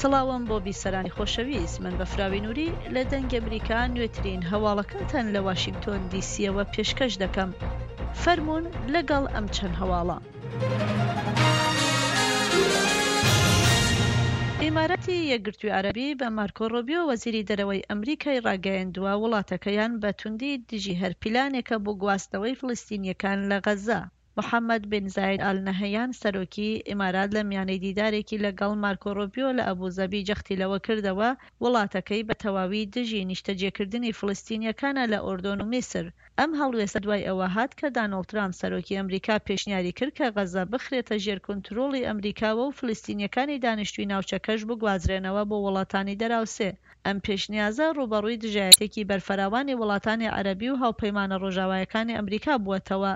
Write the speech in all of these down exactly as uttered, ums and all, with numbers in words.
سڵاوم بۆ بیسەرانی خۆشەویست، من بەفراوی نووری لە دەنگی ئەمریکا نوێترین هەواڵەکانتان لە واشنگتۆن دی سیەوە پێشکەش دەکەم. فەرموون لەگەڵ ئەم چەند هەواڵە. ئیماراتی یەکگرتووی عەرەبی بە مارکۆ ڕۆبیۆ وەزیری دەرەوەی ئەمریکای ڕاگەیاندووە وڵاتەکەیان بە توندی دژی هەر پیلانێکە بۆ گواستنەوەی فلستینیەکان لە غەزە. محەممەد بن زاید ئال نەهەیان، سەرۆکی ئیمارات، لە میانەی دیدارێکی لەگەڵ مارکۆ ڕۆبیۆ لە ئەبوزەبی جەختی لەوە کردەوە وڵاتەکەی بە تەواوی دژی نیشتەجێکردنی فلستینیەکانە لە ئۆردۆن و میسر. ئەم هەڵوێستە دوای ئەوە هات کە دانۆڵد ترامپ، سەرۆکی ئەمریکا، پێشنیاری کرد کە غەزە بخرێتە ژێر کونترۆڵی ئەمریکاوە و فلستینیەکانی دانیشتووی ناوچەکەش بگوازرێنەوە بۆ وڵاتانی دەراوسێ. ئەم پێشنیازە ڕوبەڕووی دژایەتێکی بەرفراوانی وڵاتانی عەرەبی و هاوپەیمانە ڕۆژاوایەکانی ئەمریکا بووەتەوە.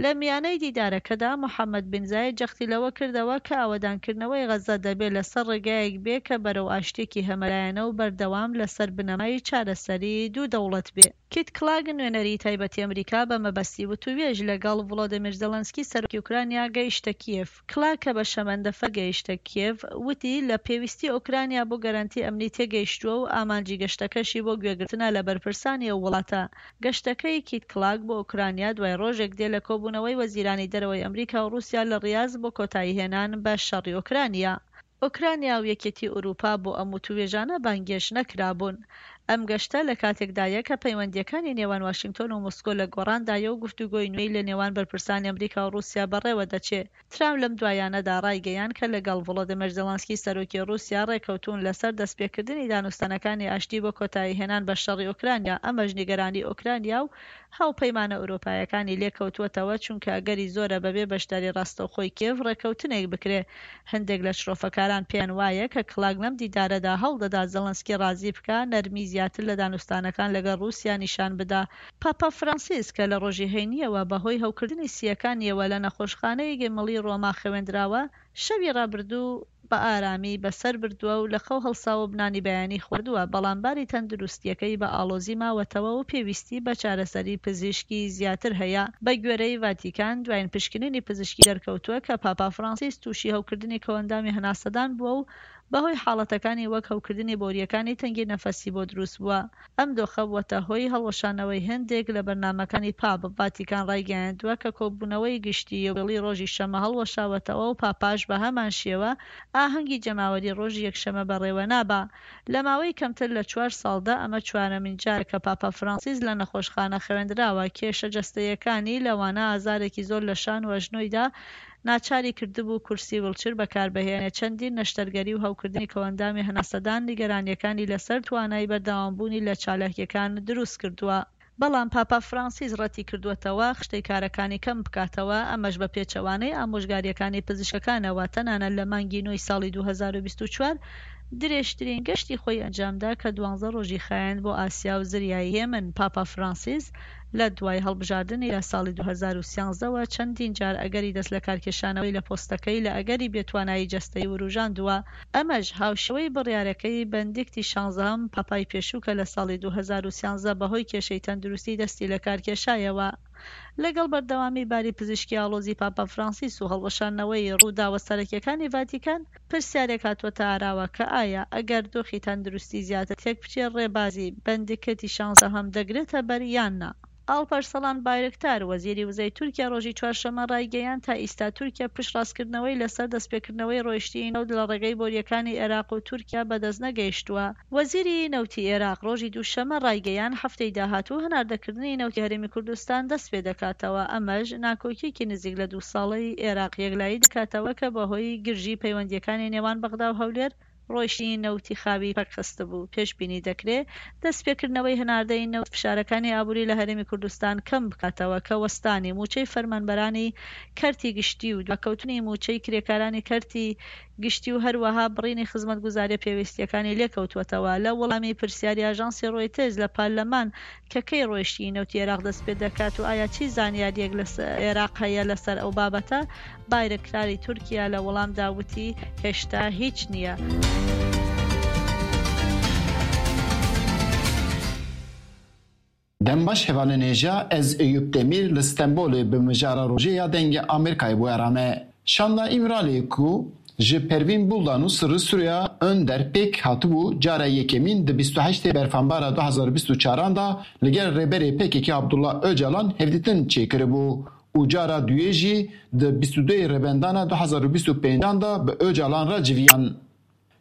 لە میانەی دیدارەکەدا، محەممەد بن زاید جەختی لەوە کردەوە کە ئاوەدانکردنەوەی غەزە دەبێت لەسەر ڕێگایەک بێ کە بەرەو ئاشتێکی هەمەلایەنە و بەردەوام لەسەر بنەمای چارەسەری دوو دەوڵەت بێ. کیت کلاگ، نوێنەری تایبەتی ئەمریکا بە مەبەستی وتووێژ لەگەڵ ڤڵۆدیمیر زێلێنسکی، سەرۆکی ئۆکرانیا، گەیشتە کیێڤ. کلاگ کە بە شەمەندەفەر گەیشتە کیێڤ، وتی لە پێویستی ئۆکرانیا بۆ گەرەنتی ئەمنی تێگەیشتووە و ئامانجی گەشتەکەشی بۆ گوێگرتنە لە بەرپرسانی ئەو وڵاتە. گەشتەکەی کیت کلاگ بۆ ئۆکرانیا دوای ڕۆژێک دێ لە کۆبوونەوەی وەزیرانی دەرەوەی ئەمریکا و رووسیا لە ڕیاز بۆ کۆتایی هێنان بە شەڕی ئۆکرانیا. ئۆکرانیا و یەکێتی ئورووپا بۆ ئەم وتووێژانە بانگێش نەکرابوون. ئەم گەشتە لە کاتێکدایە کە پەیوەندیەکانی نێوان واشنگتۆن و مۆسکۆ لە گۆڕاندایە و گفتوگۆی نوێی لە نێوان بەرپرسانی ئەمریکا و رووسیا بەڕێوە دەچێ. ترامپ لەم دوایانەدا ڕایگەیان کە لەگەڵ ڤڵۆدیمیر زێلێنسکی، سەرۆکی رووسیا، ڕێکەوتوون لەسەر دەستپێکردنی دانوستانەکانی ئاشتی بۆ کۆتایی هێنان بە شەڕی ئۆکرانیا. ئەمەش نیگەرانی ئۆکرانیا و هاوپەیمانە ئورووپایەکانی لێکەوتووەتەوە، چونکە ئەگەری زۆرە بەبێ بەشداری ڕاستەوخۆی کیێڤ ڕێکەوتنێک بکرێ. هەندێک لە شرۆفەکاران پێیان وایە کە کلاگ لەم دیدارەدا هەوڵدەدا زێلێنسکی ڕازی بکا نەرمی زیاتر لە دانوستانەکان لەگەڵ رووسیا نیشان بدا. پاپا فرانسیس کە لە ڕۆژی هەینیەوە بەهۆی هەوکردنی سییەکانیەوە لە نەخۆشخانەیەکی مڵی ڕۆما خەوێندراوە، شەوی ڕابردوو بە ئارامی بەسەر بردووە و لە خەو هەڵساوە و بنانی بەیانی خواردووە، بەڵام باری تەندروستیەکەی بە ئاڵۆزی ماوەتەوە و پێویستی بە چارەسەری پزیشکی زیاتر هەیە. بە گوێرەی ڤاتیکان، دوایین پشکنینی پزیشکی دەرکەوتووە کە پاپا فرانسیس تووشی هەوکردنی کۆئەندامی هەناسەدان بووە و بەهۆی حاڵەتەکانی وەک هەوکردنی بۆریەکانی تەنگی نەفەسی بۆ دروست بووە. ئەم دۆخە بووەتە هۆی هەڵوەشانەوەی هەندێک لە بەرنامەکانی پاپ. ڤاتیکان ڕایگەیاندووە کە کۆبوونەوەی گشتی یوبیڵی ڕۆژی شەمە هەڵوەشاوەتەوە و پاپاش بە هەمان شێوە ئاهەنگی جەماوەری ڕۆژی یەکشەمە بەڕێوە نابا. لە ماوەی کەمتر لە چوار ساڵدا ئەمە چوارەمین جارە کە پاپا فرانسیس لە نەخۆشخانە خەوێندراوە. کێشە جەستەیەکانی، لەوانە ئازارێکی زۆر لە شان و ئەژنۆیدا، ناچاری کردبوو کورسی ویلچر بەکاربهێنێ. چەندین نەشتەرگەری و هەوکردنی کۆئەندامی هەناسەدان نیگەرانیەکانی لەسەر توانای بەردەوامبوونی لە چالاکیەکان دروست کردووە. بەڵام پاپا فرانسیس ڕەتی کردووەتەوە خشتەی کارەکانی کەم بکاتەوە، ئەمەش بە پێچەوانەی ئامۆژگاریەکانی پزیشکەکانەوە. تەنانەت لە مانگی نۆی ساڵی دوو هەزار و بیست و چوار درێژترین گەشتی خۆی ئەنجامدا کە دوانزە ڕۆژی خایاند بۆ ئاسیا و زریای هێمن. پاپا فرانسیس لە دوای هەڵبژاردنی لە ساڵی دوو هەزار و سیانزە وە چەندین جار ئەگەری دەست لە کارکێشانەوەی لە پۆستەکەی لە ئەگەری بێتوانایی جەستەی وروژاندووە. ئەمەش هاوشێوەی بڕیارەکەی بەندیکتی شانزەهەم پاپای پێشوو کە لە ساڵی دوو هەزار و سیانزە بەهۆی کێشەی تەندروستی دەستی لە کارکێشایەوە. لەگەڵ بەردەوامی باری پزیشکی ئاڵۆزی پاپا فرانسیس و هەڵوەشانەوەی ڕووداوە سەرەکیەکانی ڤاتیکان، پرسیارێک هاتووەتە ئاراوە کە ئایا ئەگەر دۆخی تەندروستی زیاتر تێک بچێ، ڕێبازی بەندیکەتی شانزەهەم دەگرێتە بەر یان نا؟ ئاڵپەرسەڵان بایرکتار، وەزیری وزەی تورکیا، ڕۆژی چوارشەممە ڕایگەیاند تا ئیستا تورکیا پشتڕاستکردنەوەی لەسەر دەستپێکردنەوەی ڕۆیشتنی نەوت لە ڕێگەی بۆریەکانی عێراق و تورکیا بەدەست نەگەیشتووە. وەزیری نەوتی عێراق ڕۆژی دووشەممە ڕایگەیاند هەفتەی داهاتوو هەناردەکردنی نەوتی هەرێمی کوردستان دەست پێ دەکاتەوە. ئەمەش ناکۆکیەکی نزیک لە دوو ساڵەی عێراق یەکلایی دەکاتەوە کە بەهۆی گرژی پەیوەندیەکانی نێوان بەغدا و هەولێر ڕۆیشتنی نەوتی خاوی پەکخستبوو. پێشبینی دەکرێ دەستپێکردنەوەی هەناردەی نەوت فشارەکانی ئابووری لە هەرێمی کوردستان کەم بکاتەوە کە وەستانی موچەی فەرمانبەرانی کەرتی گشتی و دواکەوتنی موچەی کرێکارانی کەرتی گشتی و هەروەها بڕینی خزمەتگوزاریە پێویستیەکانی لێکەوتووەتەوە. لە وەڵامی پرسیاری ئاژانسی ڕۆیتێرز لە پارلەمان کە کەی ڕۆیشتنی نەوتی عێراق دەست پێ دەکات و ئایا چی زانیاریەک لە س-، عێراق هەیە لەسەر ئەو بابەتە، بایرکتاری تورکیا لە وەڵامدا وتی هێشتا هیچ نییە. Dem baş hevalên hêja, ez Eyûp Demîr li Stenbolê bi mijara Rojê ya Dengê Amerîkayê bûyera me. Şanda Îmralê ku Ji Pervîn Buldan û Sirri Süreyya Önder pêk hatibû cara yekemîn di bîst û heştê Berfanbara du hazar û bîst û çaran de li gel rêberê P K K Abdullah Ocalan hevdîtin çêkiribû û cara duyê jî di bîst û duyê Rêbendana du hazar û bîst û pêncan de bi Ocalan re civiyan.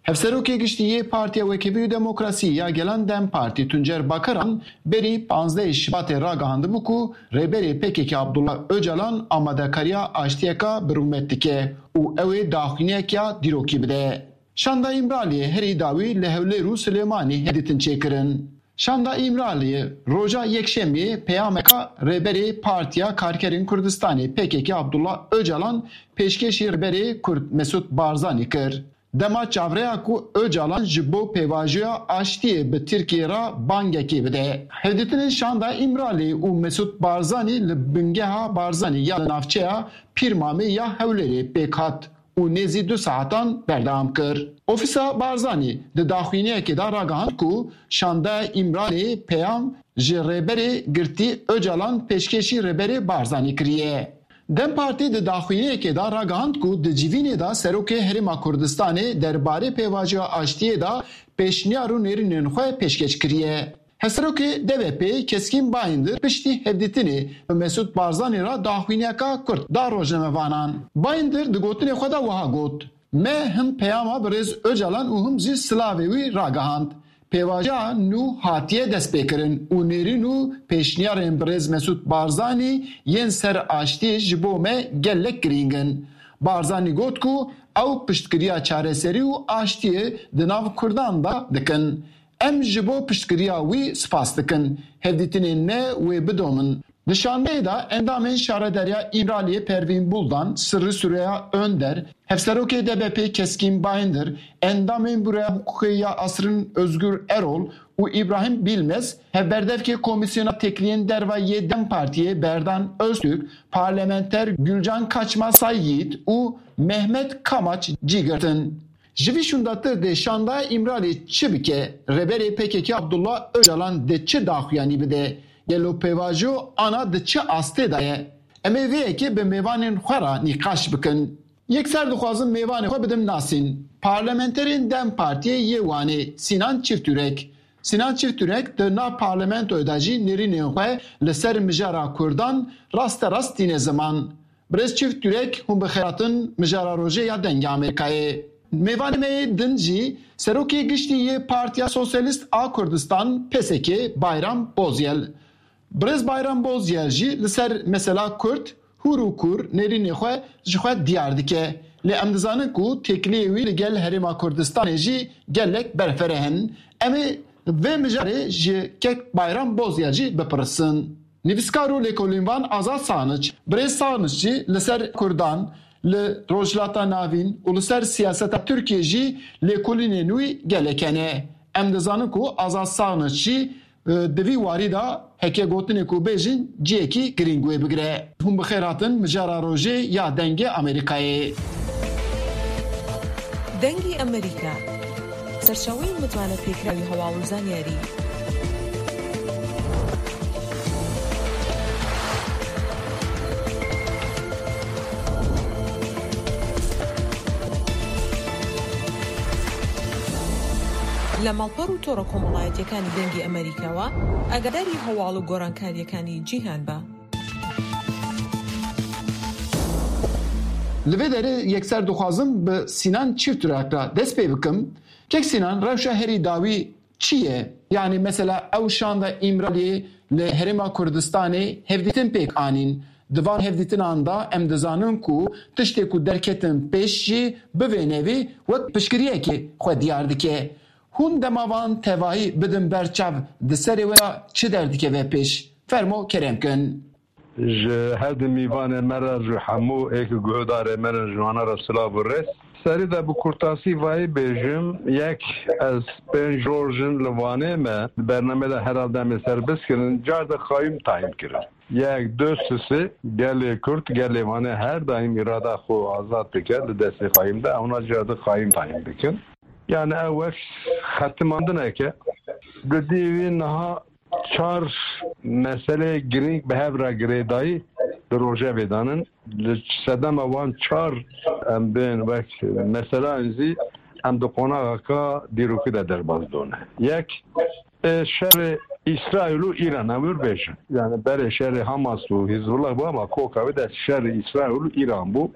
Hevserokê Giştî yê Partiya Wekevî û Demokrasî ya Gelan DEM Partî Tuncer Bakaran berî panzdehê Şibatê ragihandibû ku rêberê P K K Abdullah Ocalan amadekariya aştiyeka bi rûmet dike û ew ê daxuyaniyeke dîrokî bide. Şanda Îmraliyê herî dawî li Hewlêr û Silêmanî hevdîtin çêkirin. Şanda Îmraliyê roja Yekşemiyê peyameka rêberê Partiya Karkerên Kurdistanê P K K Abdullah Ocalan pêşkêşî rêberê Kurd Mesûd Barzanî kir. Dema çavreya ku Ocalan ji bo pêvajoya aştiyê bi Tirkiyê re bangekê bide. Hevdîtinên şanda Îmralî û Mesûd Barzanî li bingeha Barzanî ya li navçeya Pîrmamê ya Hewlêrê pêk hat û nêzî du saetan berdewam kir. Ofîsa Barzanî di daxuyaniyekê de ragihand ku şanda Îmralî peyam ji rêberê girtî Ocalan pêşkêşî rêberê Barzanî kiriye. DEM Partî di daxuyaniyekê de ragihand ku di civînê de Serokê Herêma Kurdistanê derbarê pêvajoya aştiyê de pêşniyar û nêrînên xwe pêşkêş kiriye. Hevserokê D B P Keskîn Bayindir piştî hevdîtinê bi Mesûd Barzanî re daxuyaniyeka kurt da rojnamevanan. Bayindir di gotinê xwe de wiha got, Me him peyama birêz Ocalan û him jî silavê wî ragihand. Pêvajoya nû hatiye destpêkirin û nêrîn û pêşniyarên birêz Mesûd Barzanî yên ser aştiyê ji bo me gelek girîng in. Barzanî got ku ew piştgiriya çareserî û aştiyê di nav Kurdan de dikin. Em ji bo piştgiriya wî spas dikin. Hevdîtinên me wê bidomin. Di şandeyê de endamên Şaredariya Îmraliyê Pervîn Buldan, Sirri Süreyya Önder, Hevserokê D B P Keskîn Bayindir, endamên Bureya Hiqûqê ya Asrin Özgür Erol û Îbrahîm Bilmez, hevberdevkê Komîsyona Têkiliyên Derve yê DEM Partiyê Berdan Öztürk, parlamenter Gülcan Kaçma Sayyid û Mehmet Kamaç cî girtin. Ji vî şûndatir dê şanda Îmralî çi bike? Rêberê P K K Abdullah Ocalan dê çi daxuyanî bide? Gelo pêvajo ana di çi astê de ye? Em ê vê yekê bi mêvanên xwe re nîqaş bikin. Yekser dixwazim mêvanê xwe bidim nasîn. Parlamenterên DEM Partiyê yê Wanê Sinan Çiftürek. Sinan Çiftürek di nav parlamentoyê de jî nêrînên xwe li ser mijara Kurdan rasterast tîne ziman. Birêz Çift Yurek, hûn bi xêr hatin mijara rojê ya Dengê Amerîkayê. Mêvanê me yê din jî Serokê Giştî yê Partiya Sosyalîst a Kurdistan, P S K, Bayram Bozyel. Birêz Bayram Bozyel jî li ser mesela Kurd hûr û kûr nêrînê xwe ji xwe diyar dike. Lê em dizanin ku têkiliyê wî li gel Herêma Kurdistanê jî gelek berfireh in. Em ê vê mijarê ji kek Bayram Bozyel jî bipirsin. Nivîskar û lêkolînvan Azad Sanic, Birêz Sanic jî li ser Kurdan, li Rojhilata Navîn û li ser siyaseta Tirkiyê jî lêkolînên wî gelek hene. Em dizanin ku Azad Sanic jî, e, di vî warî de heke gotinê ku bêjin cihekî girîng wê bigire. Hûn bi xêr hatin mijara rojê ya Dengê Amerîkayê. Dengî Amerîka. سەرچاوەی متمانە پێکراوی هەواڵ و زانیاری. لە ماڵپەڕ و تۆڕە کۆمەڵایەتیەکانی دەنگی ئەمریکاوە ئاگاداری هەواڵ و گۆڕانکاریەکانی جیهان بە. Li vê derê yekser dixwazim bi Sînan Çifturak re dest pê bikim. Kek Sînan, rewşa herî dawî çi ye? Yanî mesela ew şanda Îmraliyê li Herêma Kurdistanê hevdîtin pêk anîn. Di van hevdîtinan de em dizanin ku tiştê ku derketin pêş jî bi vê nevî wek piştgiriyekê xwe diyar dike. Hûn dema van tevahî bidin ber çav, di serê we de çi derdikeve pêş? Fermo kerem kin. Ji her du mîvanê me re, ji hemû ê ku guhdarê me ne, ji wana re silav û rêz. Serî de bi kurtasî vayî bêjim, yek, ez pênc roj in li Wanê me, di bernamê de herhalde em ê ser biskirin, car de qayûm tayîn kirin. Yek, du, sisê, gelê Kurd, gelê Wanê her daîm îrada xwe azad dike, li destê qayûm de, ewna car de qayûm tayîn bikin. Yani ew wek xetimandineke. Di dî wî niha çar meseleyê girîng bi hev re girêdayî di rojevê de nin. Li sedema wan çar em bên wek mesela zî em di qonaxeka dîrokî de derbas done. Yek, e, şerê Îsraîl û Îran, em wir bêjin. Yani berê şerê Hamas û Hizbullah bû, ama koka wê de şerê Îsraîl û Îran bû.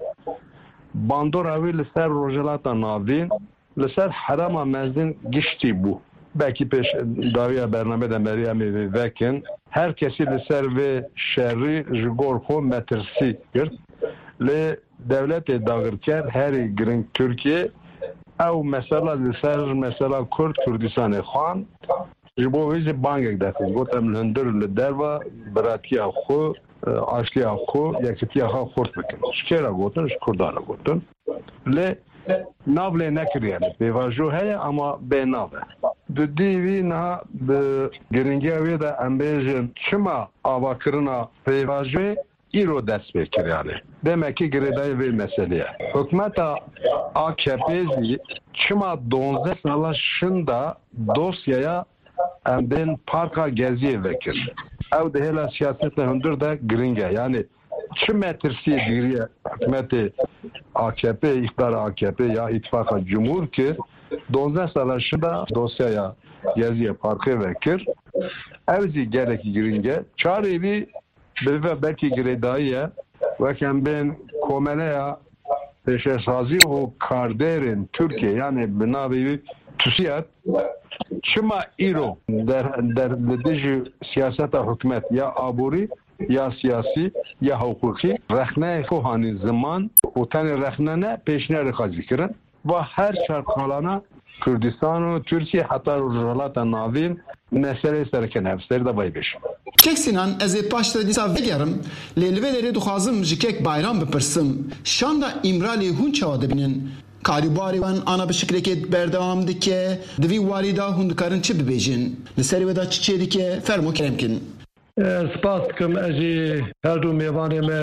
Bandora wê li ser Rojhilata Navîn, li ser Herêma Mezin giştî bû. Belkî pêş dawiya bernamê de merî em ê vê vekin. Her kesî li ser vê şerî ji gor xwe metirsî girt. Lê dewletê dagirker herî giring Tirkiye ew mesela li ser mesela Kurd Kurdistanê xwend. Ji bo wê jî bangek derxist. Got, em li hundir li derva biratiya xwe, e, aştiya xwe, yekitiya xwe xurt bikin. Ji kê re gotin? Ji Kurdan re gotin. Lê nav lê nekiriye. Pêvajo heye ama bê nav e. Di dî wî niha bi giringiya wê de em bêjin çima avakirina pêvajoyê îro dest pê kir yani. Demek ki girêdayî vê meselê ye. Hikûmeta A K P zî çima duwazdeh sala şinda dosyaya em bên parka Geziyê vekir? Ew di hêla siyaseta hundir de giring e. Yani çi metirsiyê dîriye hikûmetê A K P, îqdara A K P ya îtifaqa cumhur ki duwazdeh sala şinda dosyaya Geziyê parkê vekir. Ew zî gelekî giring e. Çarê wî bi ve belkî girêdayî ye. Wek em bên komeleya pêşesazî û kardêrên Tirkiye, yani bi navê wî TUSİAD, çima îro der, der, li dijî siyaseta hikûmet ya aborî, ya siyasî, ya hiqûqî rexneyê xwe hanî ziman û tenê rexne ne, pêşniyarê xwe zî kirin. Va her çar qalana Kurdistan û Tirkiye heta Rojhilata Navîn meseleyê sereke ne. Ser de vay bêjim. Kek Sinan, ez ê paş de dîsa vegerim, lê li vê derê dixwazim ji kek Bayram bipirsim. Şanda Îmraliyê hûn çawa dibînin? Karîbarê wan ana bi şiklekê berdewam dike, di vî warî de hûn dikarin çi bibêjin? Li serê we de çi çêdike? Fermo kerem kin. Ez spas dikim, ez jî her du mêvanê me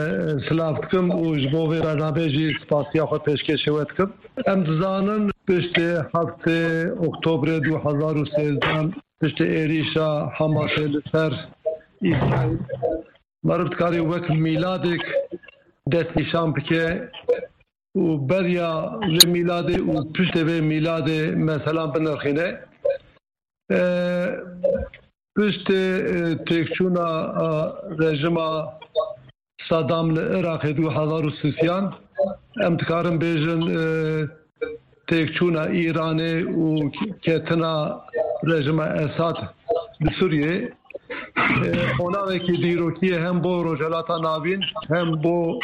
silav dikim û ji bo vê bernameyê jî spasiya xwe pêşkêşê we dikim. Em dizanin piştê heftê Oktobrê du hezar û sêzdeh, piştê êrîşa Hamasê li ser Îsraîl, meriv dikarî wek mîladek destnîşan bike û beriya vê mîladê û piştê vê mîladê meselan binirxîne. E, piştê, e, têkçûna, e, rejima Saddam li Iraqê du hezar û sêzdeh, em dikarin bêjin, e, têkçûna Îranê û ketina rejima Esad li Sûriyê, e, qonaxekî dîrokî ye hem bo Rojhilata Navîn, hem bo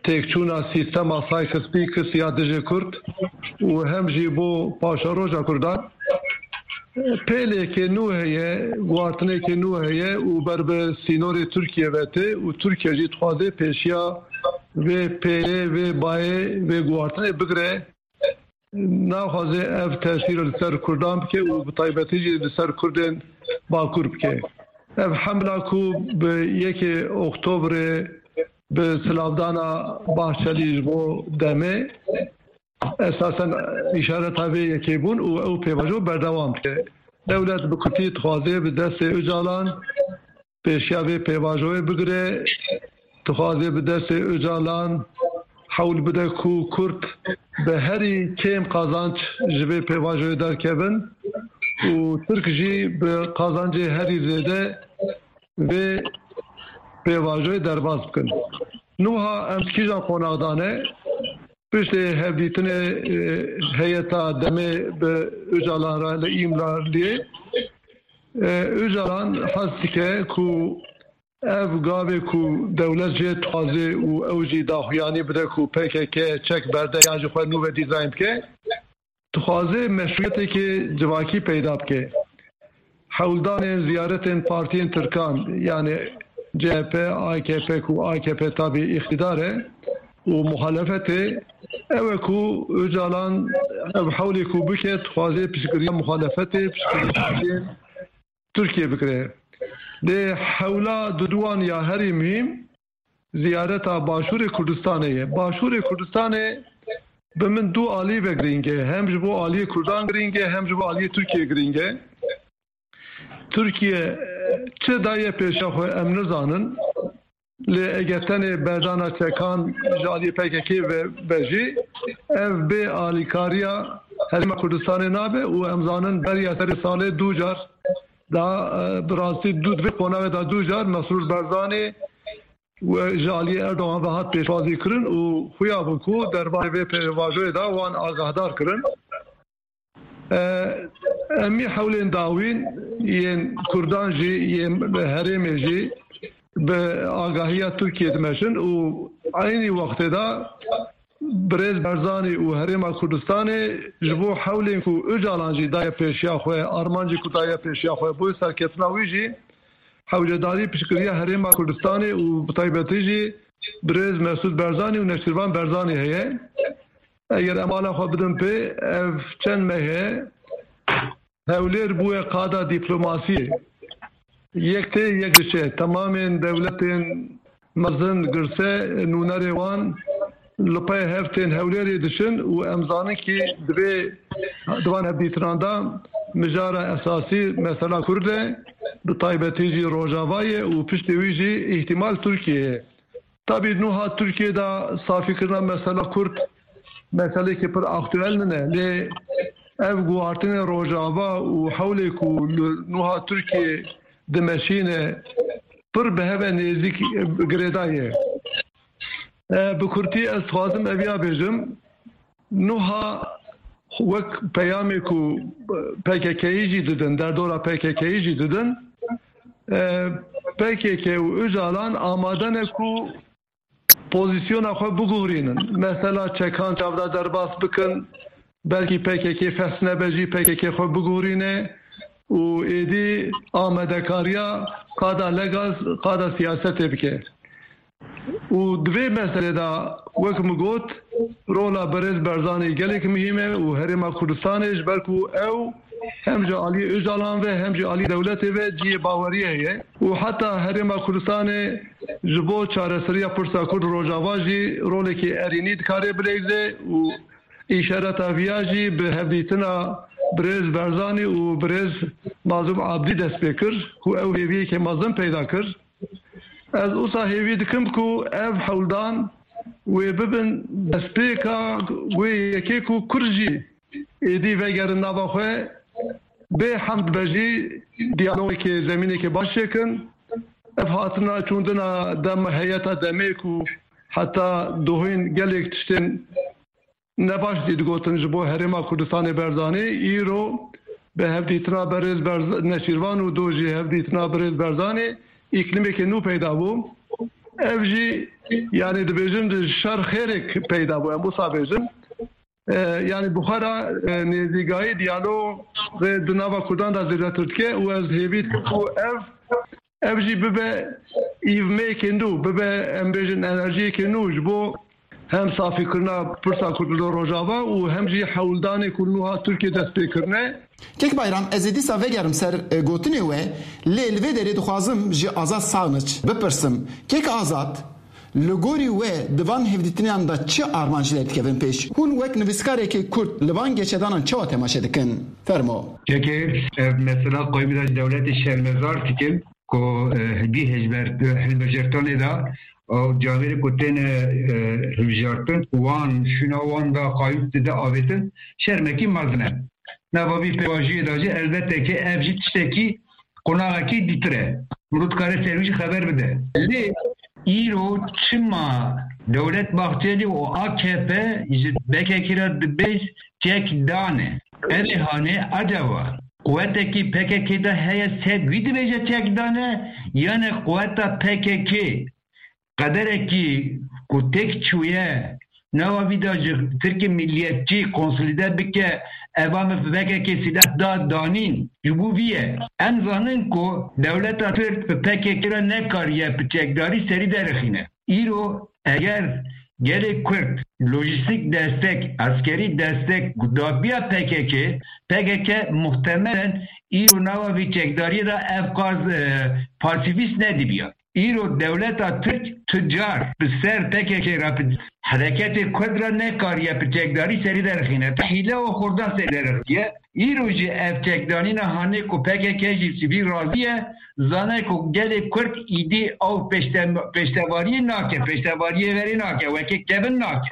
têkçûna sîstema Sykes-Picot ya dijî Kurd û hem jî bo paşeroja Kurdan. Pêleke nû heye, guhartineke nû heye û ber bi sînorê Tirkiye ve tê û Tirkiye jî dixwaze pêşiya vê pêlê, vê bayê, vê guhartinê bigire. Naxwaze ev tesîr li ser Kurdan bike û bi taybetî jî li ser Kurdên Bakur bike. Ev hemla ku bi yekê Oktobrê bi silavdana Bahçelî ji bo demê, esasen îşareta vê yekê bûn û ew pêvajo berdewam dike. Dewlet bi kutî dixwaze bi destê Ocalan pêşiya vê pêvajoyê bigire, dixwaze bi destê Ocalan hewl bide ku Kurd bi herî kêm qazanç ji vê pêvajoyê derkevin û Tirk jî bi qazancê herî zêde vê pêvajoyê derbas bikin. Niha em kîjan qonaxdane? Piştê hevdîtinê, e, heyeta demê bi Ocalan re li Îmraliyê, e, Ocalan hez dike ku ev gavê ku dewlet jê dixwaze û ew jî daxuyanî bide ku P K K çek berde yan jî xwe nû ve dîzayn bike, dixwaze meşrûyeteke civakî peyda bike. Hewldanên ziyaretên partiyên Tirkan, yani C H P, A K P ku A K P tabî îqtîdar e û muhalefetê, ew e ku Ocalan ev hewlê ku bike, dixwaze piştgiriya muhalefetê, piştgiriya partiyên Tirkiye bikire. Lê hewla diduwan ya herî muhîm ziyareta Başûrê Kurdistanê ye. Başûrê Kurdistanê bi min du alî ve girîng e. Hem ji bo aliyê Kurdan girîng e, hem ji bo aliyê Tirkiye girîng e. Tirkiye, e, çi daye pêşiya xwe em nizanin. Lê eger tenê berdana çekan ji aliyê P K K ve, ve jî, ev bê alîkariya Herêma Kurdistanê nabe û em zanin beriya serê salê du car da, e, bi rastî du, di vê qonaxê de du car Mesrûr Barzanî û ji aliyê Erdogan ve hat pêşwazî kirin û xuya bû ku derbarê vê pêvajoyê de wan agahdar kirin. E, em ê hewlên dawîn yên Kurdan jî, yên herêmê jî bi agahiya Tirkiyê dimeşin û eynî wextê de birêz Barzanî û Herêma Kurdistanê ji bo hewlên ku Ocalan jî daye pêşiya xwe, armancê ku daye pêşiya xwe, bo serkeftina wî jî hewcedarî piştgiriya Herêma Kurdistanê û bi taybetî jî birêz Mesûd Barzanî û Neçîrvan Barzanî heye. Eger em ala xwe bidin pê, ev çend meh e Hewlêr bûye qada dîplomasiyê. Yek tê, yek diçe. Temamên dewletên mezin, girse, nûnerê wan li pey hev tên Hewlêrê diçin û em zanin kî divê di van hevdîtinan de mijara esasî mesela Kurd e, bi taybetî jî Rojava ye û piştê wî jî îhtimal Tirkiye ye. Tabî nuha Tirkiye de safîkirina mesela Kurd meselekê pir aktuel nine. Lê ev guhartinê Rojava û hewlê ku li nuha Tirkiye dimeşîne pir bi hev e nêzîk girêdayî ye. E, bi kurtî ez dixwazim eviya bêjim. Nuha wek peyamê ku P K K'yî jî didin, derdora P K K'yî jî didin, e, P K K û Ocalan amade ne ku pozîsyona xwe biguhurînin. Mesela çekan çavda derbas bikin, belkî P K K fes nebe jî P K K xwe biguhurîne û êdî amadekariya qada legal, qada siyasetê bike. Û di vê meselê de, wek min got, rola birêz Barzanî gelek muhîm e û Herêma Kurdistanê, ji ber ku ew hem ji aliyê Ocalan ve hem jî alî dewletê ve cihê baweriyê heye û heta Herêma Kurdistanê ji bo çareseriya pirsa Kurd Rojava jî rolekî erênî dikare bileyze û îşareta viya jî bi hevdîtina birêz Barzanî û birêz Mazlûm Abdî dest pê kir ku ew hêviyeke mezin peyda kir. Ez wisa hêvî dikim ku ev hewldan wê bibin destpêka wê yekê ku Kurd jî êdî vegerin nava xwe, bê heft bejî diyalogekê zemînekê baş çêkin. Ev hatina çûndina dem heyeta demê ku heta dohîn gelek tiştên ne baş jî digotin ji bo Herêma Kurdistanê Berzanê, îro bi hevdîtina berêz Berz-, Neçîrvan û do jî hevdîtina birêz Berzanê îklîmeke nû peyda bû. Ev jî, yanî dibêjin di şer xêrek peyda bû, em wisa bêjin. E, yanî bi xwe re, e, nêzîkayî diyalogê di nava Kurdan de zêdetir dike û ez hêvî dikim ku ev Ev jî bibe îvmeyekê nû, bibe, em bêjin, enerjiyekê nû ji bo hem safîkirina pirsa Kurd li Rojava û hem jî hewldanê ku niha Tirkiye dest pê kirine. Kek Bayram, ez ê dîsa vegerim ser, e, gotinê we, lê li vê derê dixwazim ji Azad Sağniç bipirsim. Kek Azad, li gorî we di van hevdîtinan de çi armanc derdikevin pêş? Hûn wek nivîskarekî Kurd li van geşedanan çawa temaşe dikin? Fermo. Kekê, ev mesela qewimî de dewletê şermezar dikin. Ku, e, hêdî hejber-, hilbijartinê de, ew camêrê ku têne, e, hilbijartin, wan, şûna wan de qayût dide avêtin, şermekî mezin e. Nava vî pêvajoyê de jî elbette ki ev jî tiştekî qonaxekî dîtir e. Mirov dikare ser wî jî xeber bide. Lê îro çima Dewlet Bahçelî û A K P ji P K K re dibêj çek dane? Erê hanê acaba quwetekî P K K de heye ser wî dibêje çek dane, yane quweta P K K qederekî ku têk çûye, nava vî de ji Tirkê milliyetçî konsolîde bike, eva me P K K silah da danîn, ji bo vî ye. Em zanin ku dewleta Tirk bi P K K re nekariye bi çekdarî serî derixîne. Îro eger gelê Kurd lojîstîk destek, eskerî destek dabiya P K K, P K K muhtemelen îro nava vî çekdariyê de ev qas, e, pasîfîst nedibiya. Îro dewleta Tirk tu car bi ser P K K re, bi hereketê Kurd re nekariye piçekdarî serî derxîne. Tu hîle û xurda serî derxiye. Îro jî ev çekdanîna hanê ku P K K jî sivî razî ye, zane ku gelê Kurd îdî ew pêşte-, pêştevariyê nake, pêştevariyê verê nake, wekî kevin nake.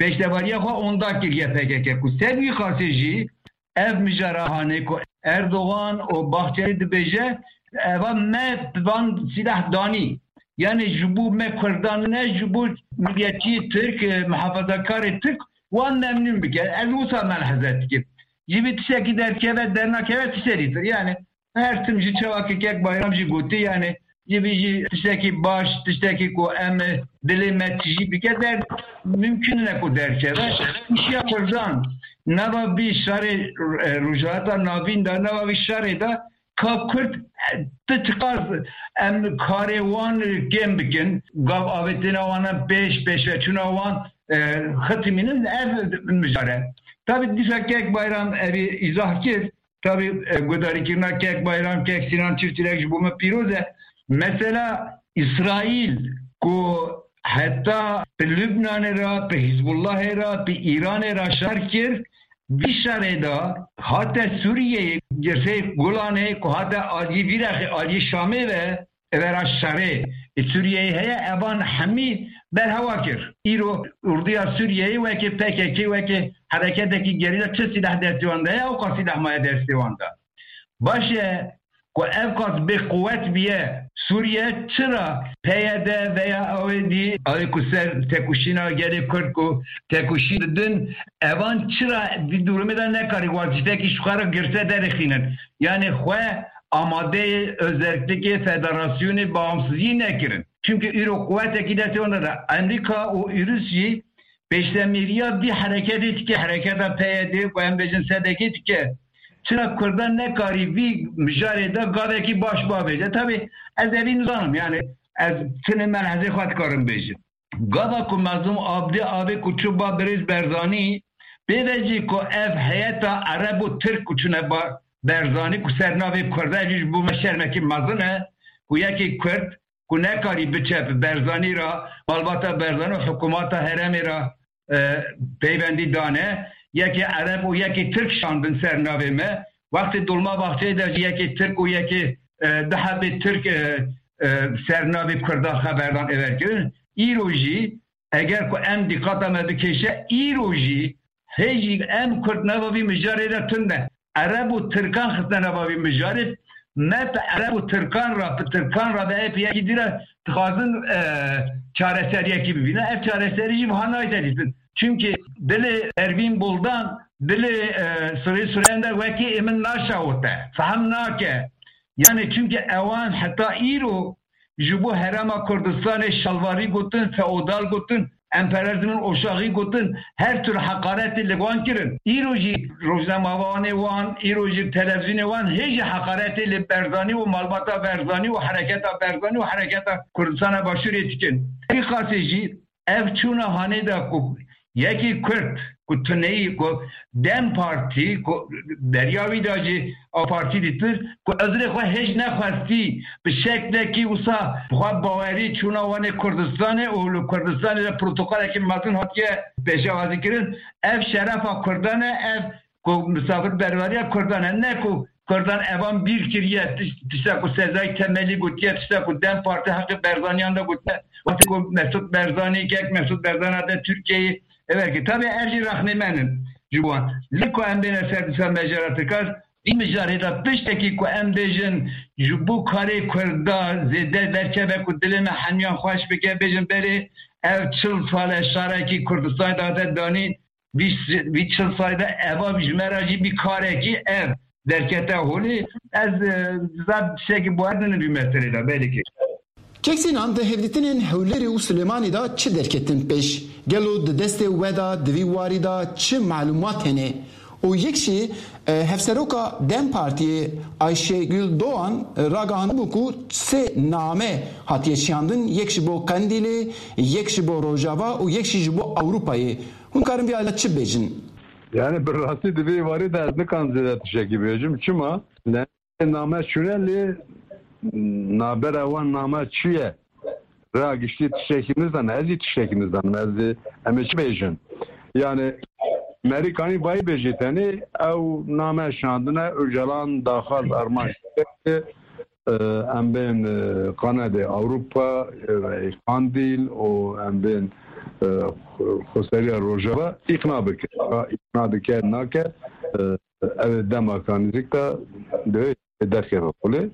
Pêştevariya xwe onda kiriye P K K ku ser wî xasê jî ev mijara hanê ku Erdogan û Bahçelî dibêje, eva me van sîlah danî. Yani ji bo me Kurdan ne, ji bo milletçiyê Tirk, e, muhafazakarê Tirk wan memnûn bike. Ez wisa melheze dikim. Ji vî tiştekî derkeve, dernakeve tiştekî dir. Yani her tim ji çawa ke kek Bayram jî gotî, yani ji vî jî tiştekî baş, tiştekî ku em dilê me tijî bike, der mümkün ne ku derkeve. Kişiya Kurdan nava vî şerê, e, Rojhilata Navîn de, nava vî şerê de ka Kurd, e, ti çiqas em karê wan kêm bikin, gav avêtina wan pêş, pêşveçûna wan, e, xitimînin, ev mijare. Tabi dîsa kek Bayram evî îzah kir. Tabi, e, guhdarîkirina kek Bayram, kek Sinan Çiftçilek ji bo me pîroz e. Mesela Îsraîl ku heta bi Lubnanê re, bi Hizbullahê re, bi Îranê re şer kir, vî şerê de hate Sûriyeyê, girsê Gulanê ku hate aliyê vî rexê, aliyê Şamê ve, evera şerê, e, Sûriyeyê heye, evan hemî berhewa kir. Îro orduya Sûriyeyê weke P K K, weke hereketekî gerîla çi sîleh destê wan de ye, ew qas sîleh maye destê wan de. Baş e, ku ev qas bê quwet biye Sûriye, çira P Y D veya ew ê dî, ew ê ku ser tekuşîna gelê Kurd ku tekuşî didin, evan çira di durumê de nekarî wazîfekî ji xwe re girse derêxînin? Yani xwe amadeyê özellikê federasyonê bağımsızî nekirin. Çünkü îro quwetekî destê wan de, Amerîka û Ûrus jî pêştemîriya vî hereketê dike, hereketa P Y D ku em bêjin S D G dike. Çira Kurdan nekarî vî mijarê de gavekî baş bavêje? Tabi ez evî nizanim, yani ez tinê melhezê xwe dikarim bêjim. Gava ku Mezlûm Abdî avê ku çû ba birêz Berzanî, pê ve jî ku ev heyeta Ereb û Tirk ku çûne ba Berzanî ku ser navê Kurda, ev jî ji bo me şermekî mezin e ku yekê Kurd ku nekarî biçe bi Berzanî re, malbata Berzanî û hikûmata herêmê re, e, peywendî dane, yekê Ereb û yekê Tirk şandin ser navê me. Wextê Dolmabahçeyê de jî yekê Tirk û yekê, e, du hebê Tirk, e, e, ser navê Kurda xeberdan êver kirin. Îro jî eger ku em dîqata me bikêşe, îro jî hê jî em Kurd nava vî mijarê de tune. Ereb û Tirkan xistine nava vî mijarê. Me bi Ereb û Tirkan re, bi Tirkan re ve hê bi yekî dî re dixwazin, e, çareseriyekî bibîne. Ev çareserî jî wiha nayê dîtin. Çimkî dilê Pervîn Buldan, dilê, e, Sirê Sureyên de wekî ê min naşawite, fehm nake. Yani çimkî ewan heta îro ji bo Herêma Kurdistanê şalvarî gotin, feodal gotin, emperyalizmin oşaxî gotin, her tür heqaretê li wan kirin. Îro jî rojnamevanê wan, îro jî televîzyonê wan hê jî heqaretê li Berzanî û malbata Berzanî û hereketa Berzanî û hereketa Kurdistana Başûrê dikin. Vî qasê jî ev çûna hanê de ku yekî Kurd ku tuneyî ku DEM Partî ku beriya wî de jî ew partî dîtir ku ezrê xwe hêj nexwestî bi şeklekî wisa bi xwe bawerî çûna wanê Kurdistanê û li Kurdistanê de protokolekî mezin hatiye pêşewazî kirin. Ev şerefa Kurdan e, ev ku misafirberveriya Kurdan e, ne ku Kurdan evan bîr kiriye, tiş-, tişta ku Sezai Temelî gotiye, tişta ku DEM Partî heqê Berzaniyan de gotiye. Wextê ku Mesut Berzanî, kek Mesut Berzanî hate Tirkiyeyê, ev ki tabi ev jî rexnê me nin ji wan. Lê ku em bêne ser dîsa mejara Tirkan, vî mijarê de piştekî ku em bêjin ji bo karê Kurda zêde derkeve ku dilê me hemiyan xweş bike, bêjin berê ev çil sal e şarekî Kurdistanê dihate danîn, vî, vî çil salî de eva ji me re jî bî karekî ev derkete holê. Ez, e, zaf tiştekî bawer dinim vî meselê de, belê ki. Kek Sînan, di hevdîtinên Hewlêrê û Silêmanî de çi derketin pêş? Gelo di destê we de di vî warî de çi malûmat hene? Û yek jî, e, hevseroka DEM Partiyê Ayşegül Doğan, e, ragihandibû ku sê name hatiye şiyandin, yek ji bo Qendîlê, yek ji bo Rojava û yek jî ji bo Ewropayê. Hûn karin vî alî çi bêjin? Yani bi rastî di vê warî de ez nikan zêde tiştekî bêjim. Çima? Ne, name çûne lê nabera wan name çi ye? Rêya giştî tiştekî nizanim, ez jî tiştekî nizanim. Ez ê, em ê çi bêjin? Yani, Merîkanî vayî bêjî tenê, ew name şandine, Ocalan daxwaz armanc dike, e, em bên, e, Kanadê Ewropa, e, Qandîl û em bên, e, xweseriya Rojava îqna bike. Îqna dike, nake, e, ev ê dema ka nêzîk de divê derkeve xulê.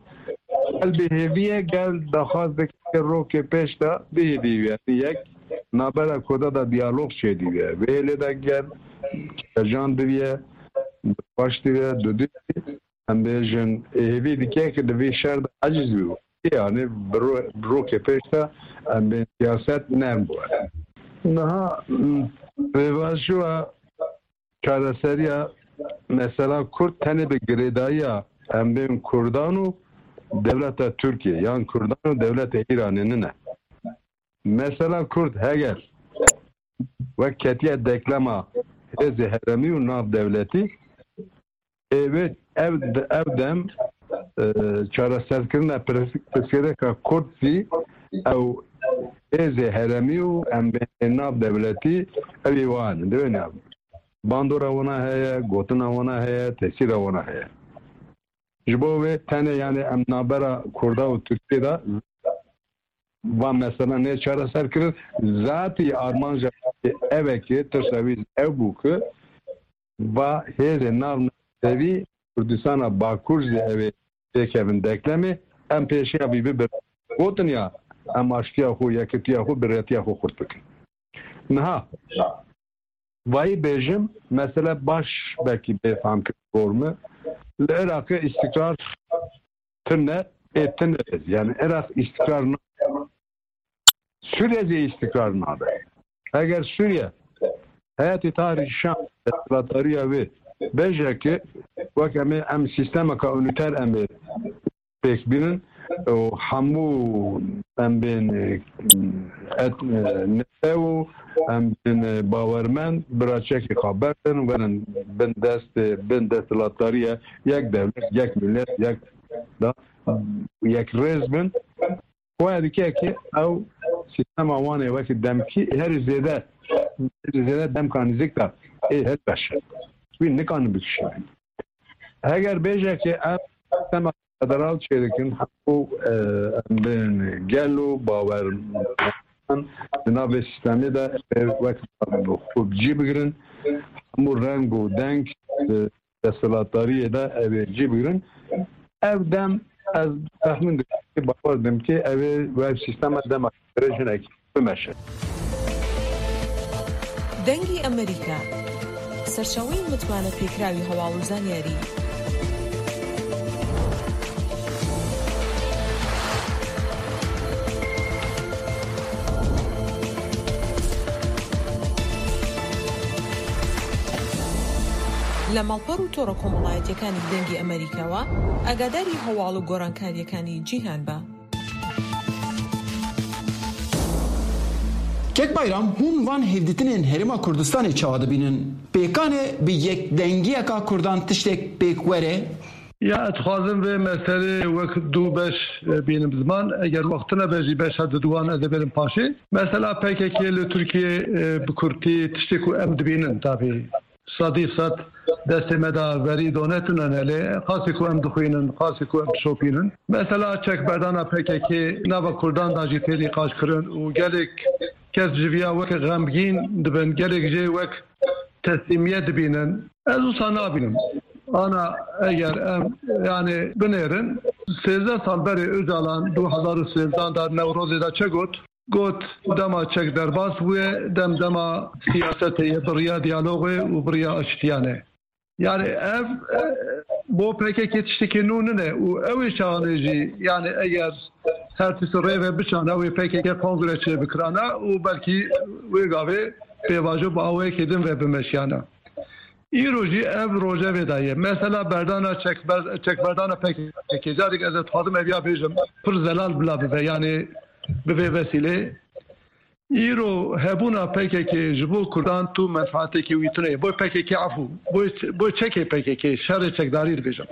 Gel bêhêvî ye, gel daxwaz dike rokê pêş de bihêvî ye. Yek, nabera Kurda de diyalog çêdî ye. Vê hêlê de gel kecan diviye, baş diviye, dudî. Em bêjin, hêvî dike ki di vî şer de eciz bî. Yani bi ro-, bi rokê pêş de em bê siyaset nerm bûye. Niha, m, pêvajoya çareseriya mesela Kurd tenê bi girêdayiya em bên Kurdan û dewleta Tirkiye yan Kurdan û dewleta Îranê nine. Mesela Kurd heger wek ketiye deklema hêzê heremî û navdewletî, ê wê ev, ev dem, e, çareserkirina pirs-, pirsgirêka Kurd zî ew hêzê heremî û em bên navdewletî ew ê wan in. Divê ne bandora wana heye, gotina wana heye, tesîra wana heye. Ji bo wê tenê, yani, em nabera Kurda û Tirkiyê de va mesela nê çareser kirin. Zatî armanja ev e ki tirsa wî ev bû ki va hêzê nav navdewî Kurdistana Bakur jî ew ê têkevin deklemê, em pêşiya vî bibin. Gotin ya, em aştiya xwe, yekitiya xwe, birêtiya xwe xurt bikin. Niha, vayî bêjim, mesele baş belkî bê fehmkirin gor me. Li Iraqê îstikrar tune, ê tune. Yani Iraq îstikrar nabe. Sûriye zî îstikrar nabe. Eger Sûriye heyetê Tahrir Şam desthilatdariya wê bêje ki wek em ê, em sîstemeka unîter em ê pêk bînin û hemû em bên, e, et-, e, netew û em bên, e, bawermend bira çekê xwe berdin, werin bin destê, bin desthilatdariya yek dewlet, yek millet, yek da, yek rêz bin. Xwe dike ki ew sîstema wan ê wekî demkî herî zêde, herî zêde demka nêzîk de ê hilweşe. Wî nikarin bikişînin. Heger bêje ki em sîstema federal çêdikin, hemû, e, em bên gel û bawer di nav vê sîstemê de, e, wek xwe bi cî bigirin, hemû reng û deng, e, desthilatdariyê de ev ê cî bigirin. Ev dem ez texmîn dikim, bawer dikim ki ev ê wek sîstema dema jinekî bimeşe. دەنگی ئەمریکا، سەرچاوەی متمانە پێکراوی هەواڵ و زانیاری. لە ماڵپەڕ و تۆڕە کۆمەڵایەتیەکانی دەنگی ئەمریکاوە ئاگاداری هەواڵ و گۆڕانکاریەکانی جیهان بە. Kek Bayram, hûn van hevdîtinên Herêma Kurdistanê çawa dibînin? Pêkan e bi yekdengiyeka Kurdan tiştek pêk were? Ya, ez dixwazim vê meselê wek du beş, e, bînim ziman. Eger wextine be jî beşa diduwan ez ê bêrim paşê. Mesela P K K li Tirkiye, e, bi kurtî tiştê ku em dibînin, tabî sedî sed destê me de verî donetine, lê qasî ku em dixwînin, qasî ku em dişopînin. Mesela çekberdana P K K nava Kurdan de jî tê nîqaş kirin û gelek kes ji viya wek xemgîn dibin, gelek jê wek teslîmiyet dibînin. Ez wisa nabînim. Ana eger em, yani, binêrin, sêzdeh sal berê Ocalan du hezar û sêzdeh de Newrozê de çi got? Got, dema çek derbas bûye, dem dema siyasetê ye, bi riya diyalogê û bi riya aştiyan e. Yani ev, e, bo P K K tiştekî nû nine û ew ê çaxanê jî, yani eger her tişt rê ve biçana, wê P K K kongre çê bikirana û belkî wê gavê pêvajo bi awayekê din ve bimeşiyana. Îro jî ev rojevê de ye. Mesela berdana çekber-, çekberdana P K K, carek ez dixwazim ev ya bêjim, pir zelal bila bibe, yani bi vê vesîlê. Îro hebûna P K K ji bo Kurdan tu menfaatekî wî tune ye. Bo P K K, efû, bo, bo çekê P K K, şerê çekdarî dibêjim.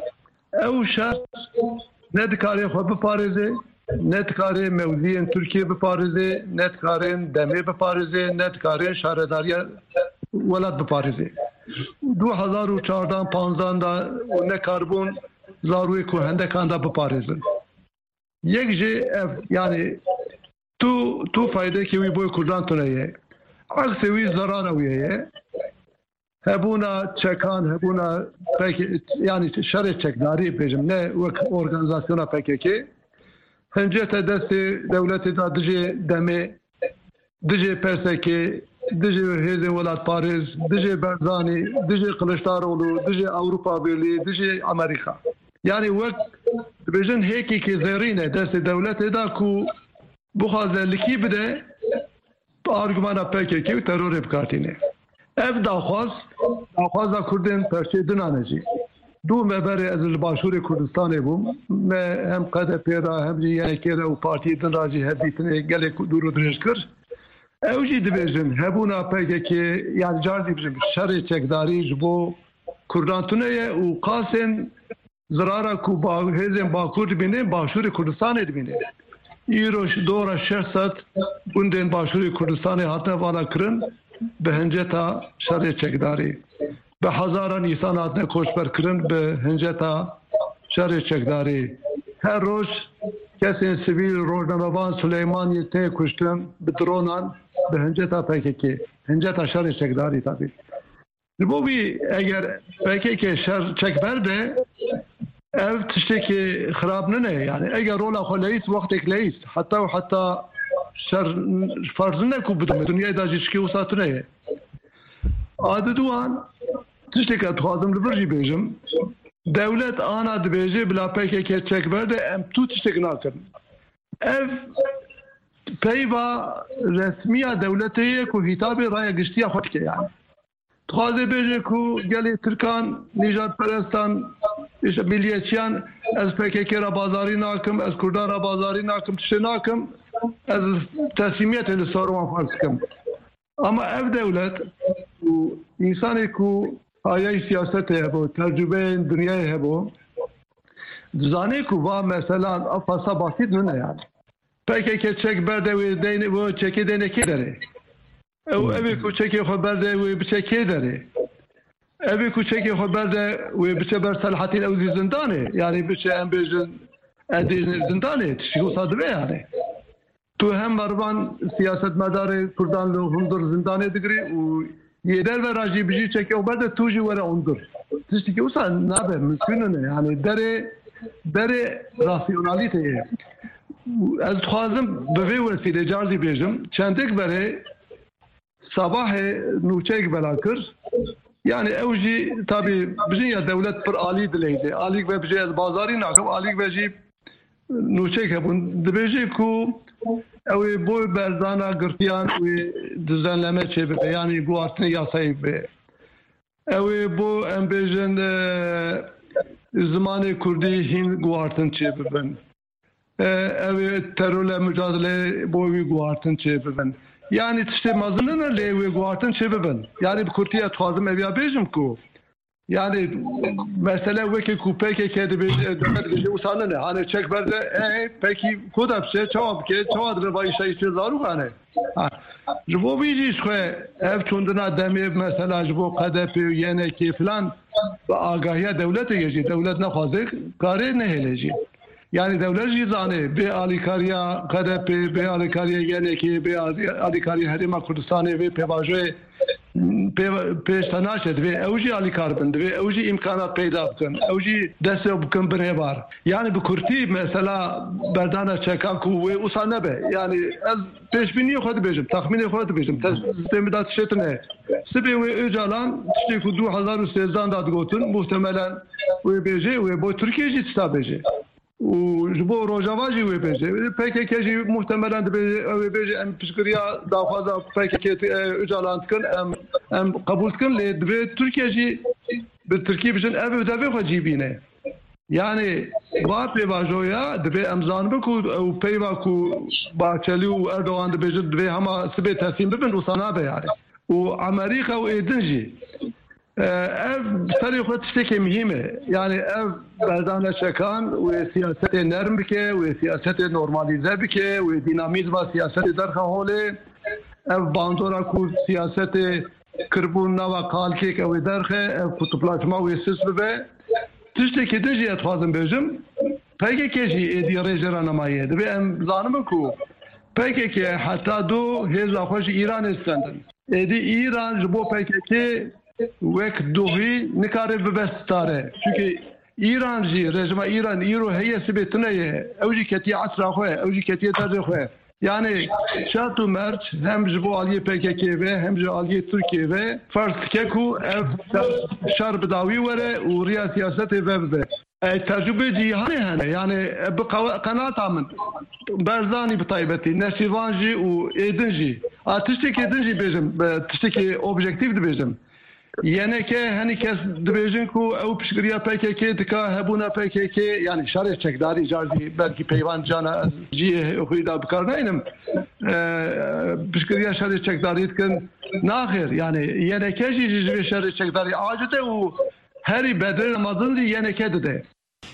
Ew şer Ne dikare xwe biparêze, ne dikare mewziyên Tirkiyê biparêze, ne dikarên demê biparêze, ne dikarên şaredariya welat biparêze. Du hezar û çardan panzdan da û nekaribûn zarûyê ku hendekan da biparêzin. Yek jê ev, yani tu, tu faydekî wî boy Kurdan tune ye. Aksê wî zerara wî ye. Hebûna çekan, hebûna pek, yani şerê çekdarî bêjim, ne wek organizasyona P K K. Hincete destê dewletê da dijê demê, dijê P S K, dijê hêzên welatparêz, dijê Barzanî, dijê Kiliçdaroglu, dijê Ewropa Birlî, dijê Amerîka. Yani wek dibêjin hêkekê zêrîn e destê dewletê da ku bixwaze likî bide, bi argumana P K K û terorê bikartîne. Ev daxwaz, daxwaza Kurdên perçê dinan e jî. Du me berê ez li Başûrê Kurdistanê bûm. Me hem K D P ra hem jî Y N K ra û partiyê din ra jî hevdîtinê gelek dûr û dirêj kir. Ew jî dibêjin hebûna P K K, yani car jî bijim şerê çekdarî ji bo Kurdan tune ye û qasên zirara ku ba-, hêzên Bakur dibînin, Başûrê Kurdistanê dibînin. Îro ş-, dora şeş sed gundên Başûrê Kurdistanê hatine vala kirin bi hinceta şerê çekdarî. Bi hezaran însan hatine koçber kirin bi hinceta şerê çekdarî. Her roj kesên sivîl, rojnamevan, Silêmaniyê tê kuştin bi dronan bi hinceta P K K. Hinceta şerê çekdarî tabî. Ji bo vî eger P K K şer çek berde, ev tiştekî xirab nine. Yani eger rola xwe leyîst, wextek leyîst. Heta û heta şer ferz nine ku bidime. Dinyayê da jî tişkî wisa tune ye. A diduan, tiştekî ez dixwazim li vir jî bêjim. Dewlet ana dibêje bila P K K çek berde, em tu tiştek nakin. Ev peyva resmiya dewletê ye ku hitabê raya giştiya xwe dike yani. Dixwaze bêje ku gelê Tirkan, nîjadperestan, işte milliyetçiyan, ez P K K ra bazarî nakim, ez Kurdan ra bazarî nakim, tiştê nakim, ez teslîmiyetê li ser wan ferz dikim. Ama ev dewlet û însanê ku hayayî siyasetê hebo, tecrûbeyên dinyayê hebo, dizane ku va meselan ev fasa basît nine yani. P K K çek berde wê deyne, wê çekê deyne kê derê? Ew, hmm, evê ku çekê xwe berde wê biçe kê derê? Evê ku çekê xwe berde wê biçe ber Selahattin, ew zî zindanê. Yani biçe, em bêjin, ez dê zindanê. Tiştî wisa dibe yani. Tu hem mervan siyasetmedarê Kurdan li hundir zindanê digirî û yê derve ra jî bijî çekê xwe berde, tu jî were hundir. Tiştekî wisa nabe, mimkûn nine. Yani derê, derê rasyonalîteyê. Ez dixwazim bi vê wesîlê car jî bêjim, çendek berê Sabahê nûçeyek bela kir. Yani ew jî tabî bijin ya dewlet pir alî dileyde. Alîk ve bijê ez bazarî nakim, alîk ve jî nûçeyek hebûn. Dibêje ku ew ê bo berdana girtiyan wê düzenleme çêbibe, yani guhartinê yasayê bibe. Ew ê bo, em bêjin, e, zimanê kurdî hîn guhartin çêbibin. E, ew ê terorle mücadele bo wî guhartin çêbibin. Yani tiştê mezin nine lê wê guhartin çêbibin. Yani bi kurtî ez dixwazim ev ya bêjim ku, yani mesele weke ku P K K dibêje, dibêje wisa nine. Hani çek berde, e, pekî ku da biçe, çawa bike, çawa dibe va îşa îşê zarok ane. Ha. Ji bo vî jî ji xwe ev çûndina demê mesela ji bo K D P û Y N K filan bi agahiya dewletê ye jî. Dewlet nexwaze karê nehêle jî. Yani dewlet jî zanê bê alîkariya K D P, bê alîkariya Y N K, bê alî-, alîkariya Herêma Kurdistanê, bê pêvajoyê pê-, pêş te naçe, divê ew jî alîkar bin, divê ew jî îmkanat peyda bikin, ew jî destê bikin binê bar. Yani bi kurtî mesela berdana çeka ku wê wisa nebe. Yani ez pêşbîniyê xwe dibêjim, texmînê xwe dibêjim. Te destê min da tiştê tune. Sibê wê Ocalan tiştê ku du hezar û sêzdan da digotin, muhtemelen wê bêje, wê bo Tirkiye jî tişta bêje. Û ji bo Rojava jî wê bêje. P K K jî muhtemelen dibê, ew ê bêje, em piştgiriya daxwaza P K K, e, Ocalan dikin, em, em qebûl dikin, lê divê Tirkiye jî bi Tirkî bijin, ev ê devê xwe cî bîne. Yani va pêvajoya divê em zanibin ku ew peyva ku Bahçeli û Erdogan dibêjin divê hema sibê teslîm bibin, wisa nabe yani. Û Amerîka û êdin jî E, ev serê xwe tiştekê muhîm e. Yani ev berdane çekan wê siyasetê nerm bike, wê siyasetê normalîze bike, wê dînamîzma siyasetê derxe holê. Ev bandora ku siyasetê kiribûn nava kalkêk ew ê derxe, ev kutuplaşma wê sis bibe. Tiştekî din jî ez dixwazim bêjim, P K K jî êdî rêjê re nemaye. Dibê em zanimin ku P K K heta do hêza xwe ji Îranê stendin. Êdî Îran ji bo P K K wek dohî nikare bibe stare. Çunke Îran jî, rejîma Îran îro heye, sibê tune ye. Ew jî ketiye esra xwe, ew jî ketiye derdê xwe. Yani şert û merc hem ji bo aliyê P K K ve hem ji aliyê Tirkiyê ve ferz dike ku ev şer, şer bi dawî were û riya siyasetê vebibe. E, tecrûbê cîhanê hene. Yani e, bi qe-, qenaeta min, Barzanî bi taybetî, Neçîrvan jî û êdin jî. A, tiştekê din jî bêjim, e, tiştekê objektîf dibêjim. Y N K, henî kes dibêjin ku ew piştgiriya P K K dika, hebûna P K K, yani şerê çekdarî, car jî belkî peyvan cana ez cihê xwî de bi kar naynim, e, piştgiriya şerê çekdarî dikin. Naxêr, yani Y N K jî ji vê şerê çekdarî aciz e û herî bedrê mezin jî Y N K dide.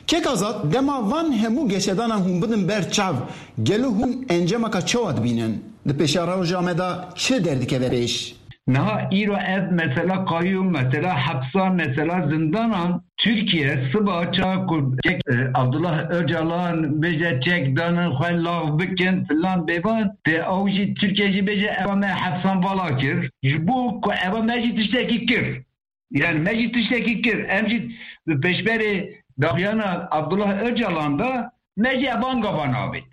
Kek Azad, dema van hemû geşedanan hûn bidin ber çav, gelo hûn encamaka çawa dibînin? Di pêşa roja me de çi derdikeve pêş? Niha îro ev mesela qayûm, mesela hepsan, mesela zindanan, Tirkiye siba çawa ku çek, e, Abdullah Öcalan bêje çek danin xwe lav bikin filan bêvan, te ew jî Tirkiye jî bêje eva me hepsan vala kir. Ji bo ku eva me jî tiştekî kir. Yani me jî tiştekî kir. Em jî bi pêşberê daxuyana Abdullah Öcalan da me jî ev angavan avêt.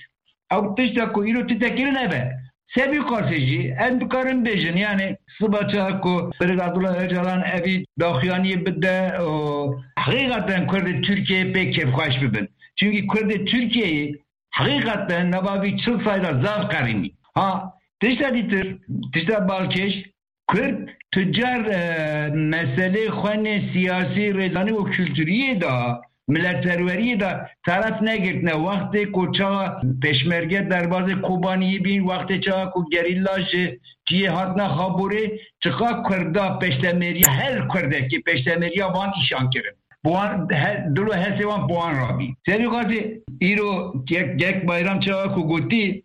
Ew tişta ku îro tê kirin ev e. Sebî qasê jî em dikarin bêjin, yani siba çawa ku Birêz Abdullah Öcalan evî daxuyaniyê bide û heqîqeten Kurdê Tirkiyeyê pê kêfxweş bibin. Çünkü Kurdê Tirkiyeyê heqîqeten nava vî çil sayda zaf qerînî. Ha, tişta dîtir, tişta balkêş, Kurd tu car, e, meselê xwenê siyasî, rêzanî û kulturiyê de, miletperweriyê de taraf negirtine. Wextê ku çawa pêşmerge derbazê Kobaniyê bîn, wextê çawa ku gerîla ji cihê hatine Xaborê, çiqa Kurda peştemêriya her Kurdekê peştemêriya van îşan kirin. Bi wan he-, dil û hesê wan bi wan rabî. Serî xwezî îro Kek, Kek Bayram çawa ku gotî,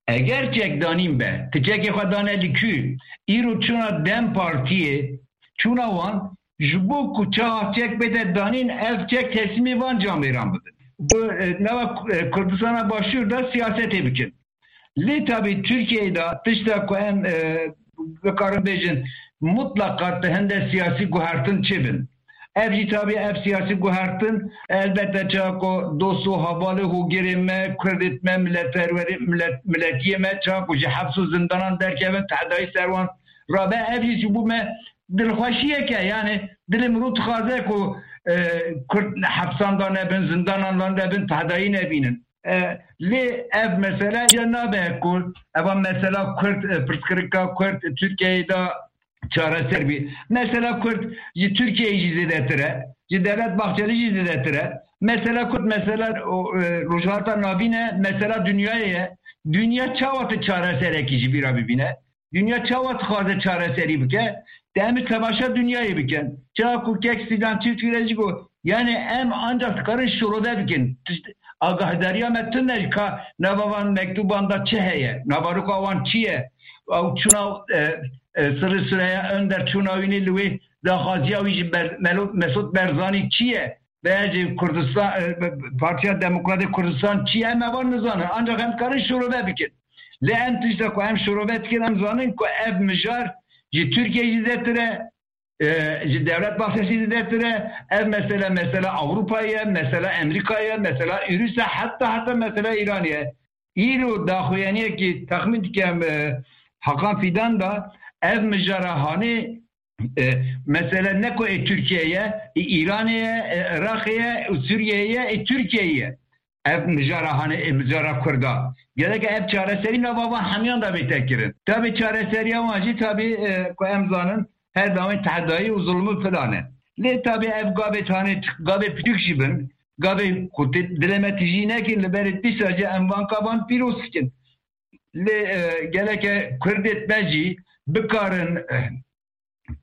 eger çekdanîn be, ti çekê xwe dane li kû, îro çûna DEM Partiyê, çûna wan, ji bo ku çawa çek bête danîn, ev çek teslîmê van camêran bibin. Bi, e, nava, e, Kurdistana Başûr de siyasetê bikin. Lê tabî Tirkiyeyê de tişta ku em, e, bikarin bêjin, mutlaqa ti hinde siyasî guhertin çêbin. Ev jî tabî ev siyasî guhertin, elbette çawa ku dost û hevalê hogirê me, Kurdê me, miletperwerê, milet-, miletiyê me, çawa ku ji heps û zindanan derkevin, tehdayî ser wan rabe, ev jî ji bo me dilxweşiyek e. Yani dilê mirov dixwaze ku, e, Kurd hepsan de nebin, zindanan de nebin, tehdayî nebînin. E, lê ev mesele ya nabe ku eva mesela Kurd, e, pirsgirêka Kurd Tirkiyeyê de çareser bî. Mesela Kurd ji Tirkiyeyê jî zêdetir e, ji Devlet Bahçelî jî zêdetir e. Mesela Kurd mesela o, e, Rojhilata Navîn e, mesela dinyayê ye. Dinya çawa tu çareserekî ji vî re bibîne? Dinya çawa dixwaze çareserî bike? Te em ê temaşa dinyayê bikin. Çawa ku kek Sîdan Çiftçî re jî got, yani em ancak dikarin şirove bikin. Tişt-, agahdariya me tune ka nava van mektuban da çi heye? Navaroka wan çi ye? Ew çûna, e, e, Sirri Süreyya Önder çûna wînê li wê daxwaziya wî ji Ber-, Melo-, Mesut Berzanî çi ye? Veya jî Kurdistan, e, Partiya Demokratê Kurdistan çi ye? Em evan nizanin. Ancak em dikarin şirove bikin. Lê em tişta ku em şirove dikin, em zanin ku ev mijar ji Tirkiye jî zêdetir e, e, ji Devlet Bahçelî zêdetir e. Ev mesele, mesela Ewropa ye, mesela Amerîka ye, mesela Ûrûs e, heta, heta mesela Îran ye. Îro daxuyaniyekî texmîn dikim, e, Hakan Fidan da ev mijara hanê, e, mesele ne ku ê Tirkiye ye, ê Îranê ye, ê Iraqê ye, ê Sûriyeyê ye, ê Tirkiyeyê ye. Ev mijara hanê, ê mijara Kurda. Gerek ev çareserî nava van hemiyan da bête kirin. Tabî çareseriya wan jî tabî, e, ku em zanin, her dawên tehdayî û zulmû filan e. Lê tabî ev gavê tanê, gavê piçûk jî bin, gavê ku ti-, dilê me tijî nekin, li berê dîsa jî em van kavan pîroz dikin. Lê, e, gereke Kurdê me jî bikarin, e,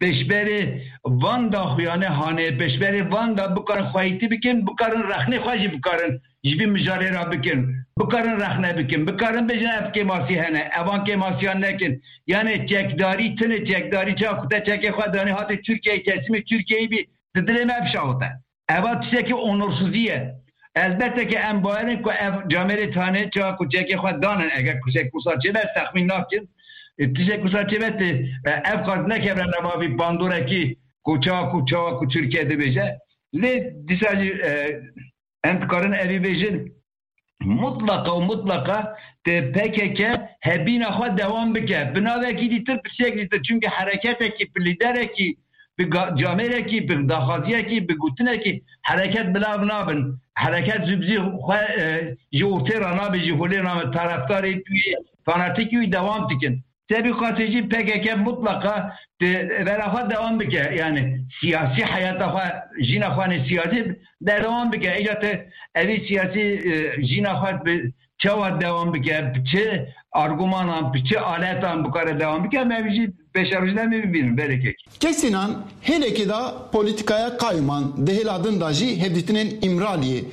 pêşberê van da xuyane hanê, pêşberê van da bikarin xweyîtî bikin, bikarin rexnê xwe jî bikarin ji vî mijarê re bikin, bikarin rexne bikin, bikarin bêjin ev kêmasî hene, evan kêmasiyan nekin. Yani çekdarî tine, çekdarî ça ku te çekê xwe danî hatê Tirkiyeyê, teslîmê Tirkiyeyê bî, di dilê me bişawite. Eva tiştekî onorsizî ye. Elbette ki em bawerin ku ev camêrê tane çawa ku çekê xwe danin, eger ku çek wisa çêbe, ez texmîn nakin. E, tiştek wisa çêbe, te, e, ev qas nekevre nava vî bandorekî ku çawa ku, çawa ku Tirkiye dibêje. Lê dîsa jî, e, em dikarin evî bêjin. Mutlaka û mutlaka te P K K hebîna xwe dewam bike. Bi navekî dîtir, bi tiştek dîtir. Çimkî hereketekî, bi lîderekî, bi ga-, camêrekî, bi daxwaziyekî, bi gotinekî hereket bila nabin. Hereket ji, ji xwe, e, ji ortê re nabe, ji holê nabe. Taraftarê wî, fanatîkî wî dewam dikin. Tevî qasê jî P K K mutlaka di vera xwe dewam bike. Yani siyasî heyata xwe, jîna xwe nê siyasî berdewam bike. Îca te evî siyasî, e, jîna xwe bi çawa dewam bike, bi çi argumanan, bi çi aletan bikare dewam bike, em evî jî pêşerojî de em ê bibînin, belê kek. Kesînan hêlekê de polîtîkaya qayûman di hêla din de jî hevdîtinên Îmraliyê.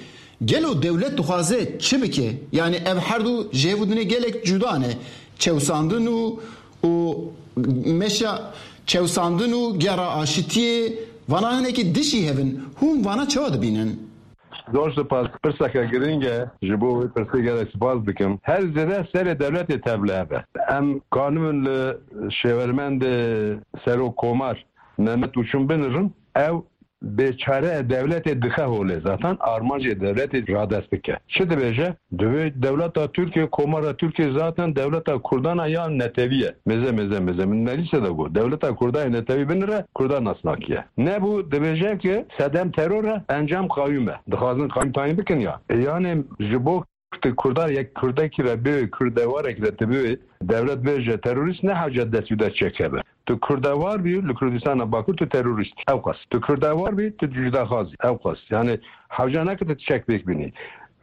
Gelo dewlet dixwaze çi bike? Yani ev her du ji hevdîtinê gelek cuda ne. Çewsandin û, û meşa çewsandin û gera aşitiyê, vana hinekî dijî hev in. Hûn vana çawa dibînin? Zor spas. Pirseke girîng e. Ji bo wê pirsê gelek spas dikim. Her zêde serê dewletê tevlihev e. Em kanibin li şêwermendê Serok Komar Mehmet Uçum binirin. Ew bêçare e, dewletê dixe holê. Zaten armancê dewletê radest bike. Çi dibêje? Divê dewleta Tirkiye, Komara Tirkiye zaten dewleta Kurdan e ya netewî ye. Mêze, mêze, mêze. Min meclise de got. Dewleta Kurdan yê netewî binire, Kurdan nasnakiye. Nebû, dibêje ki sedem teror e, encam qayûm e. Dixwazin qayûm tayîn bikin ya. E, yani ji bo tu Kurda yek Kurdekî re bê, Kurdewarekî re tu bê, dewlet bêje terorîst, ne hewce dest wî de çêkeve. Tu Kurdewar bî, li Kurdistana Bakur tu terorîst î. Ew qas. Tu Kurdewar bî, tu cudaxaz î. Ew qas. Yani hewce nake tu çek pêk bînî.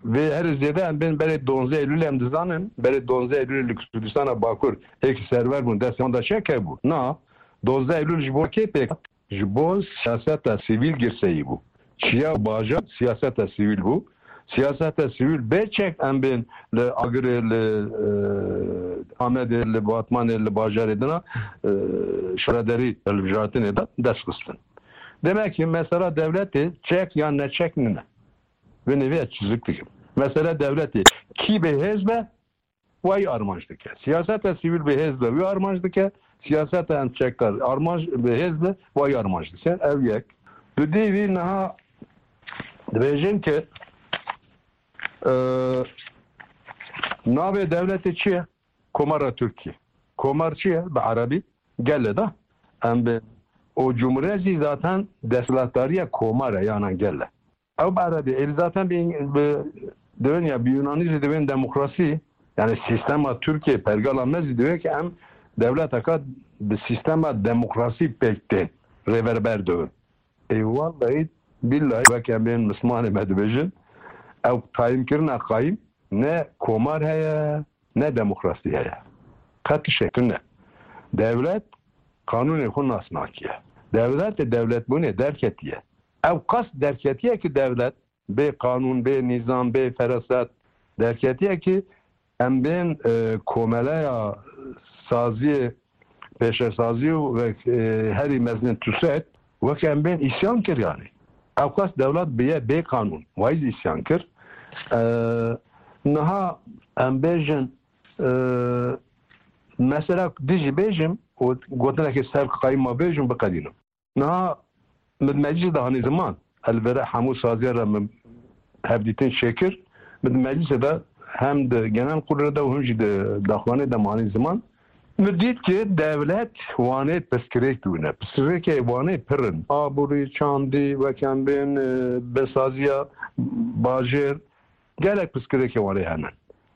Vê herî zêde em bên berê duwazdeh Eylûlê em dizanin, berê duwazdeh Eylûlê li Kurdistana Bakur êk server bûn, destê wan de çek hebû. Na, duwazdeh Eylûl ji bo kê pêk hat? Ji bo siyaseta sivîl girseyî bû. Çiya û bajar siyaseta sivîl bû. Siyaseta sivîl bê çek em bên li Agirê, li, e, Amedê, li Batmanê, li bajarê dina, e, şaredarî hilbijartinê de dest xistin. Demek ki mesela dewletê çek yan neçek nine. Vê nivê ez çizik dikim. Mesela dewletê kî bê hêz be, wayî armanc dike. Siyaseta sivîl bi hêz be, wî armanc dike. Siyaseta em çekdar armanc bi hêz be, wayî armanc dike. Ev yek. Dudî vî niha dibêjin ki, e, navê dewletê çi ye? Komara Tirkî. Komar çi ye? Bi erebî gel e da. Em bi o cumhuriyet zî zaten desthilatdariya komar e, yanan gel e. Ew bi erebî, êdî zaten bi, bi, divên ya bi Yunanî jî divên demokrasî, yani sîstema Tirkiye, pergala me zî divê ki em dewleteka bi sîstema demokrasî pêk tên, rêverber dibin. Ê wellahî billahî weke em bên mislimanê me dibêjin, ew tayînkirina qayîm ne komar heye, ne demokrasî heye. Qet tiştek tune. Dewlet qanûnê xwe nas nakiye. Dewlet ê dewletbûnê derketiye. Ew qas derketiye ki dewlet bê qanûn, bê nîzam, bê feraset derketiye ki em bên, e, komeleya saziyê, pêşesazî û ve, e, herî mezin TUSED wek em bên îsyan kir yani. Ew qas dewlet biye bê qanûn. Wayî zî îsyan kir. E, niha em bêjin, e, mesela dijî bêjim û gotinekê ser qayîma bêjim biqedînim. Niha min meclîsê de hanî ziman, ez li vêre hemû saziya re min hevdîtin çêkir. Min di meclîsê de hem di genel kurulê de û him jî di daxuyanê de min hanî ziman. Min dît ki dewlet wanê pirsgirêk dibûne. Pirsgirêkê wanê pir in. Aborî, çandî, wek em bên, e, besaziya bajêr, gelek pirsgirêkê wanê hene.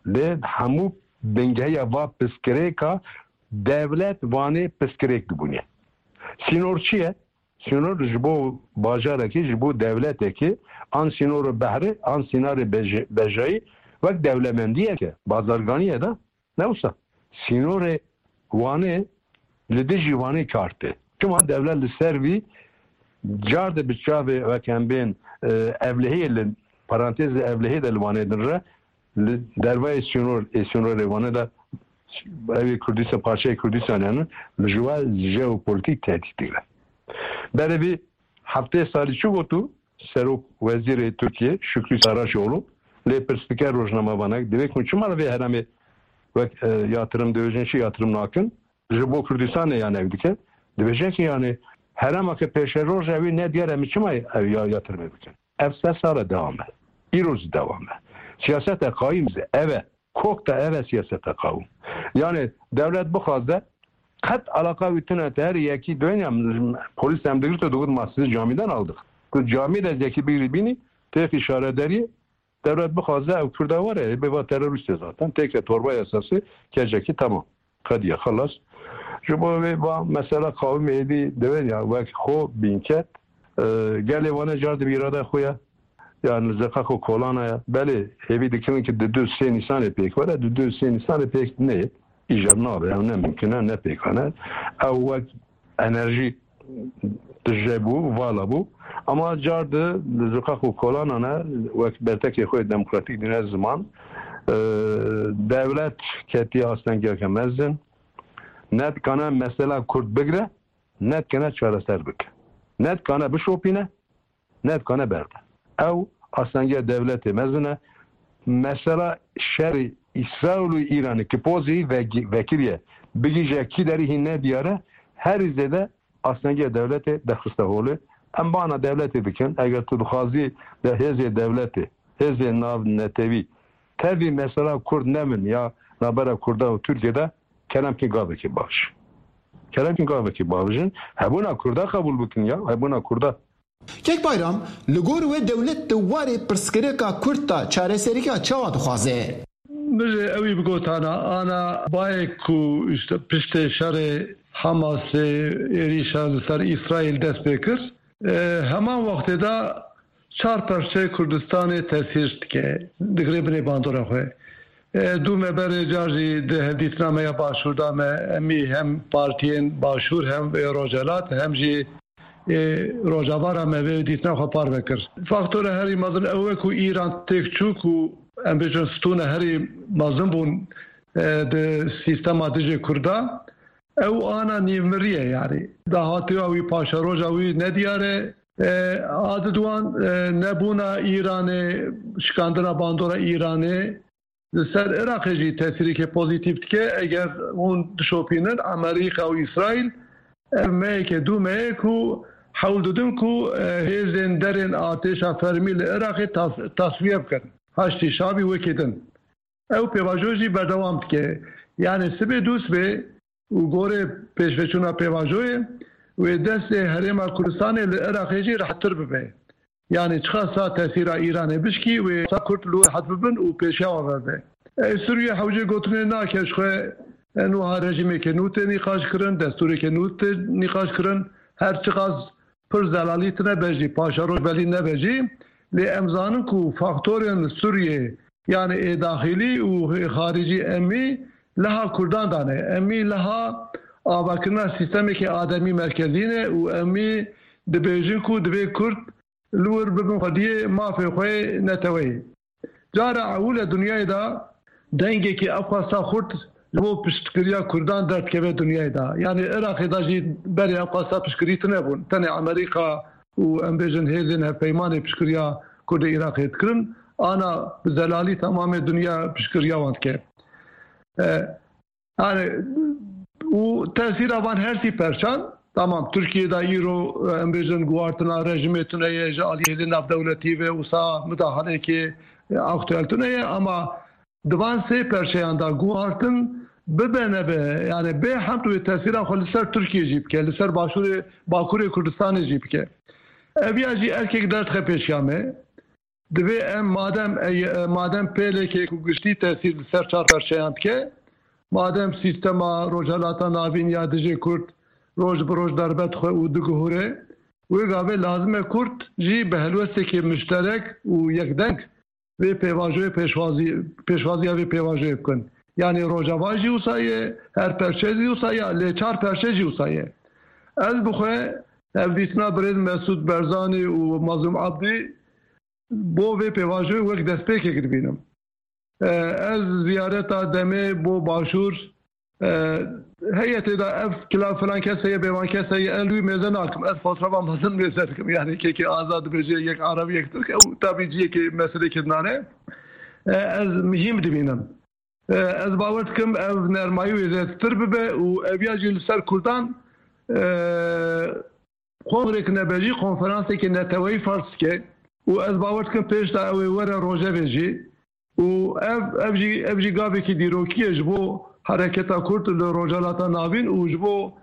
Lê hemû bingehiya va pirsgirêka dewlet wanê pirsgirêk dibûne. Sînor çi ye? Sînor ji bo bajarekî, ji bo dewletekî, an sînoro behrê, an sînarê beje-, bejayî, wek dewlemendiyeke bazarganî ye da, ne wisa. Sînorê Wanê li dijî Wanê kar tê. Çima dewlet li ser vî car de bi çavê wek em bên, e, evlehiyê li parantez de evlehiyê de li Wanê din re li dervayê sînor, ê sînorê Wanê de ew ê Kurdistan, parçeyê Kurdistan yani li ji we jeopolitîk tehdît digre. Berê vî heftê salî çi gotu? Serok Wezîrê Tirkiye Şükrü Saraçoğlu lê pirs dike rojnamevanek, divê ku çima li vê heremê wek, e, yatırım dibêjin, çi yatırım nakin? Ji bo Kurdistanê ya nev dike. Dibêje ki yani herema ke pêşeroj e wî nediyar e, em çima ev ya yatırımê bikin? Ev sed sal e dewam e. Îro jî dewam e. Siyaseta qayîm jî ev e. Kok da ev e siyaseta qayîm. Yani dewlet bixwaze qet alaka wî tune te her yekî doyne ya polîs em digirto digot ma sizi camiden aldık. Tu camî de yekî bigirî bînî têxî şaredariyê. Dewlet bixwaze ew Kurda were, ê bê va terorîst e zaten. Têke torba yasası, kecekî tamam. Qediye, xelas. Ji bo vê va mesela qawimê êdî divên ya wek xwe bînket, e, gelê wane car dibi îrada xwe ya. Yani zeqaq û kolana ya. Belê, hêvî dikirin ki di du sê Nîsanê pêk were, di du sê Nîsanê pêk neyê. Îcar nabe, ew ne mimkin e, ne pêkan e. Ew wek enerjî tije bû, vala bû. Ama car di, di ziqaq û kolanan e, wek bertekê xwe demokratîk dîne ziman, e, dewlet ketiye astengiyeke mezin. Ne dikane mesela Kurd bigire, ne dikane çareser bike. Ne dikane bişopîne, ne dikane berde. Ew astengiya dewletê mezin e. Mesela şerê Îsraîl û Îranê ki pozî vegi-, vekiriye, bigîje kî derî hîn nediyar e, herî zêde astengiya dewletê derxiste holê. Em bana dewletê bikin, eger tu dixwazî de hêzê dewletê, hêzê navnetewî, tevî mesela Kurd nebin ya nabera Kurda û Tirkiye de, kerem ki gavekî bavij. Kerem ki gavekî bavijin, hebûna Kurda qebûl bikin ya, hebûna Kurda. Kek Bayram, li gor we dewlet di warê pirsgirêka Kurd de çareserîka çawa dixwaze? Min jî ewî bigotana, ana bayê ku işte piştê şerê Hamasê êrîşa li ser Îsraîl dest pê kir, e, heman wextê de çar perçeyê Kurdistanê tesîr dike, digire binê bandora xwe. E, dû me berê car jî di hevdîtina me ya Başûr de me, emî hem partiyên Başûr hem ê Rojhelat hem jî ê Rojava re me vê dîtina xwe parve kir. Faktora herî mezin ew e ku Îran têk çû ku em bêjin stûne herî mezin bûn, e, di sîstema dijê Kurda. Ew ana nîvmirî ye, yanî dahatiya wî, paşeroja wî nediyar e. E, a di duwan, e, nebûna Îranê, şikandina bandora Îranê, li ser Iraqê jî tesîreke pozîtîf dike. Eger hûn dişopînin, Amerîka û Îsraîl ev meyeke dû meyek û hewl didin ku, e, hêzên derên artêşa fermî li Iraqê tas-, tasfiye bikin. Haştî Şabî wekî din. Ew pêvajoyê jî berdewam dike. Yanî sibê dû sibê û gorê pêşveçûna pêvajoyê wê destê Herêma Kurdistanê li Iraqê jî rehettir bibe. Yanî çiqasa tesîra Îranê bişkî, wê sa Kurd li wir rehet bibin û pêşiya wan vebe. Ê Sûriye hewcê gotinê nake, ji xwe en wiha rejîmeke nû tê nîqaş kirin, destûreke nû tê nîqaş kirin. Her çiqas pir zelalî tune be jî, paşeroj belî nebe jî, lê em zanin ku faktorên Sûriyê, yanî ê daxilî û ê xaricî emî liha Kurdan dane. Emî liha avakirina sîstemeke ademî merkezî ne û emî dibêjin ku divê Kurd li wir bibin xwediyê mafê xwe yê neteweyê. Cara ewil e dinyayê de dengekî ev qasa xurt ji bo piştgiriya Kurdan derdikeve dinyayê de. Yanî Iraqê de jî berê ev qasa piştgirî tune bûn. Tenê Amerîka û, em bêjin, hêzên hevpeymanê piştgiriya Kurdê Iraqê dikirin. Ana bi zelalî temamê dinya piştgiriya wan dike. E, Yani, û tesîra van her sî perçan, tamam, Tirkiye de îro, em bêjin, guhartina rejimê tune ye, ji aliyê hêzên navdewletî ve wisa midahaleyekê, e, aktuel tune ye, ama di van sê perçeyan de guhartin bibe nebe, yani bê hemd wê tesîra xwe li ser Tirkiye jî bike, li ser başûrê, bakurê Kurdistanê jî bike. Ev ya jî erkek derdixe pêşiya me. Divê em madem, ey, madem pêlekê ku giştî tesîr li ser çar perçeyan dike, madem sîstema Rojhelata Navîn ya dijê Kurd roj bi roj derbe dixwe û diguhure, wê gavê lazim e Kurd jî bi helwestekê mişterek û yekdeng vê pêvajoyê pêşwazî-, pêşwaziya vê pêvajoyê bikin. Yanî Rojava jî wisa ye, her perçe jî wisa ye, lê çar perçe jî wisa ye. Ez bi xwe hevdîtina birêz Mesûd Barzanî û Mazlûm Abdî bo vê pêvajoyê wek destpêkek dibînim. E, ez ziyareta demê bo Başûr, e, heye tê de ev kila filan kes heye, bêvan kes heye, ez li wî mêze nakim. Ez fotoğrafa mezin mêze dikim. Yani kekê azad dibêje, yek Arab, yek Tirk, ew tabî ciyekê meselekê dinane. E, ez muhîm dibînim. E, ez bawer dikim ev nermayî wê zêdetir bibe û ev ya jî li ser Kurdan, e, kongrek nebe jî konferanseke neteweyî ferz dike û ez bawer dikim pêş de ew ê were rojevê jî û ev, ev jî, ev jî gavekî dîrokî ye ji bo hereketa Kurd li Rojhelata Navîn û ji bo,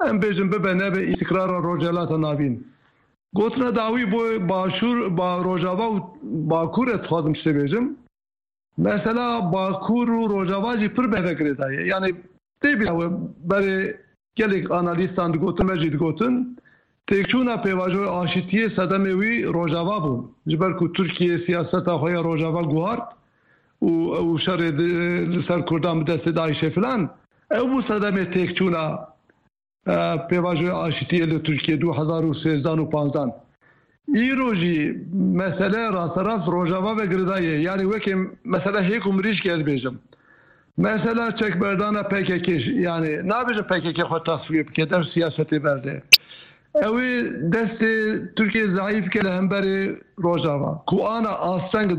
em bêjin, bibe nebe îstikrara Rojhelata Navîn. Gotina dawî bo Başûr, ba Rojava û Bakur ez dixwazim tiştê bêjim. Mesela Bakur û Rojava jî pir bi hev ve girêdayî ye. Yani tê bîra we berê gelek analîstan digotin, me jî digotin, têkçûna pêvajoya aşîtiyê sedemê wî Rojava bû. Ji ber ku Tirkiye siyaseta xwe ya Rojava guhart û ew şerê di, li ser Kurdan bi destê DAIŞê filan, ew bû sedemê têkçûna e, pêvajoya aşitiyê li Tirkiye du hezar û sêzdan û panzdan. Îro jî mesele rasterast Rojava ve girêdayî ye. Yani wekî mesela hêk û mirîşkê ez bêjim. Mesela çekberdana P K K, yani nabêjim P K K xwe tasfiye bike, dev siyasetê berde. Ew ê destê Tirkiye zayîf ke li hemberê Rojava. Ku ana asteng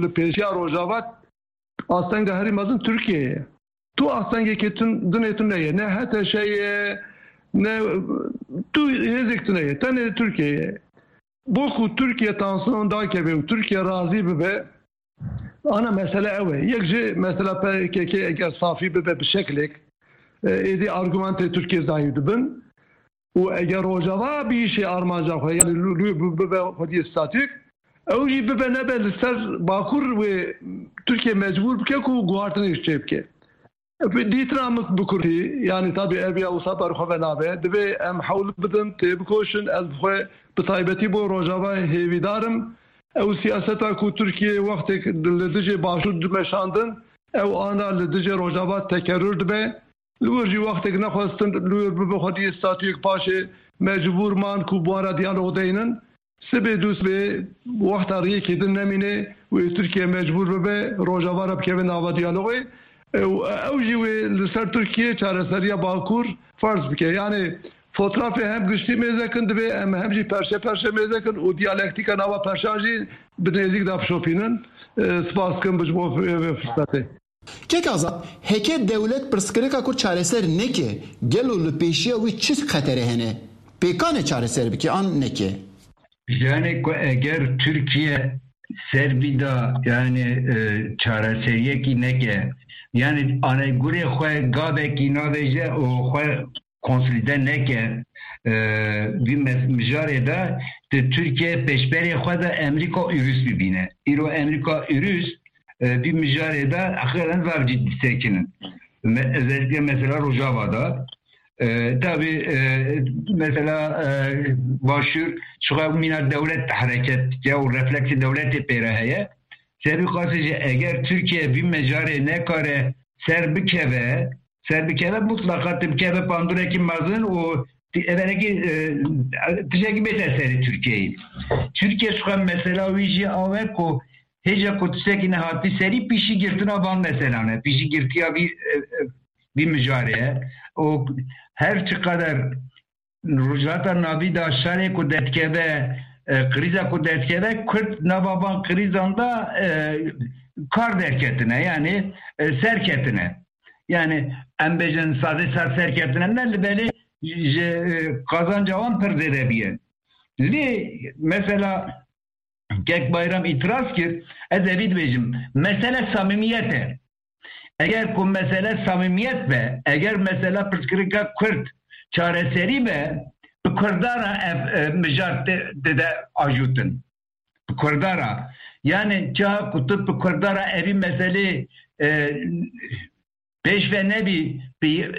li pêşiya Rojava, astenga herî mezin Tirkiye ye. Tu astengekê tun-, dinê tune ye. Ne H T Ş ye, ne tu hêzek tune ye. Tenê Tirkiye ye. Bo ku Tirkiye tansiyon dakeve û Tirkiye razî bibe, ana mesele ew e. Yek jî mesela P K K eger safî bibe bi şeklek, e, êdî argumentê Tirkiye zayîf dibin. Û eger Rojava bîşê armanca xwe, yani lû, lû bi-, bibe xwediyê statûk, ew jî bibe nebe li ser Bakur wê Tirkiye mecbûr bike ku guhartinê ji çê bike. Bi dîtina min bi kurtî, yani tabî ev ya wisa ber xwe ve nabe, divê em hewl bidin, têbikoşin, ez bi xwe bi taybetî bo Rojava hêvîdar im. Ew siyaseta ku Tirkiye wextek li dijê Başûr dimeşandin, ew ana li dijê Rojava tekerrür dibe. Li wir jî wextek nexwestin li wir bibe xwediyê statûyek paşê mecbûr man ku bi wan re diyalog deynin. Sibê dû sibê wexta riyekê din nemîne wê Tirkiye mecbûr bibe Rojava re bikeve nava diyalogê. Ew, ew jî wê li ser Tirkiye çareseriya Bakur ferz bike. Yani fotrafê hem giştî mêze kin divê em hem jî perşe perşe mêze kin û diyalektîka nava perşan jî bi nêzîk de bişopînin. E, spas dikim bi ji bo vê, vê firsetê. Kek Azad, heke dewlet pirsgirêka Kurd çareser neke, gelo li pêşiya wî çi xetere hene? Pêkan e çareser bike an neke? Yani ku eger Tirkiye ser bîda, yani, e, çareseriyekî neke, yani anegurê xwe gavekî navêje û xwe konsolîde neke, e, vî me-, mijarê de, di Tirkiye pêşberê xwe de Amerîka û Rûs bibîne. Îro Amerîka û Rûs, e, vî mijarê de heqîqeten zaf cidî sekinin. Me-, özellikle mesela Rojava de. E, tabii, e, mesela, e, Başûr şixwe mîna dewlet hareket dike û refleksê dewletê pê re heye. Sebî qasê jî eger Tirkiye vî mijarê nekare ser bikeve, ser bikeve, mutlaka tu bikeve pandurekî mezin û ti-, evelekî, e, tiştekî bête serê Tirkiyeyê. Tirkiye şixwe mesela wî jî awe ku hêja ku tiştekî nehatî serî pîşî girtina van meselan e. Pîşî girtiya vî, e, e, vî mijarê ye. Û her çiqader Rojhilata Navî de şerê ku derdikeve, e, krîza ku derdikeve, Kurd nava van krîzan de, e, kar derketine, yani, e, serketine. Yani, em bêjin sazê ser serketine ne, li belê ji, e, qazanca wan pir zêde biye. Lê mesela Kek Bayram îtiraz kir, ez evî dibêjim, mesele samîmiyet e. Eger ku mesele samîmiyet be, eger mesela pirsgirêka Kurd çareserî be, bi Kurda re ev, e, mijar te-, dide ajûtin. Bi Kurda re. Yani çawa ku tu bi Kurda re evî meselê, e, pêş ve nebî, bi,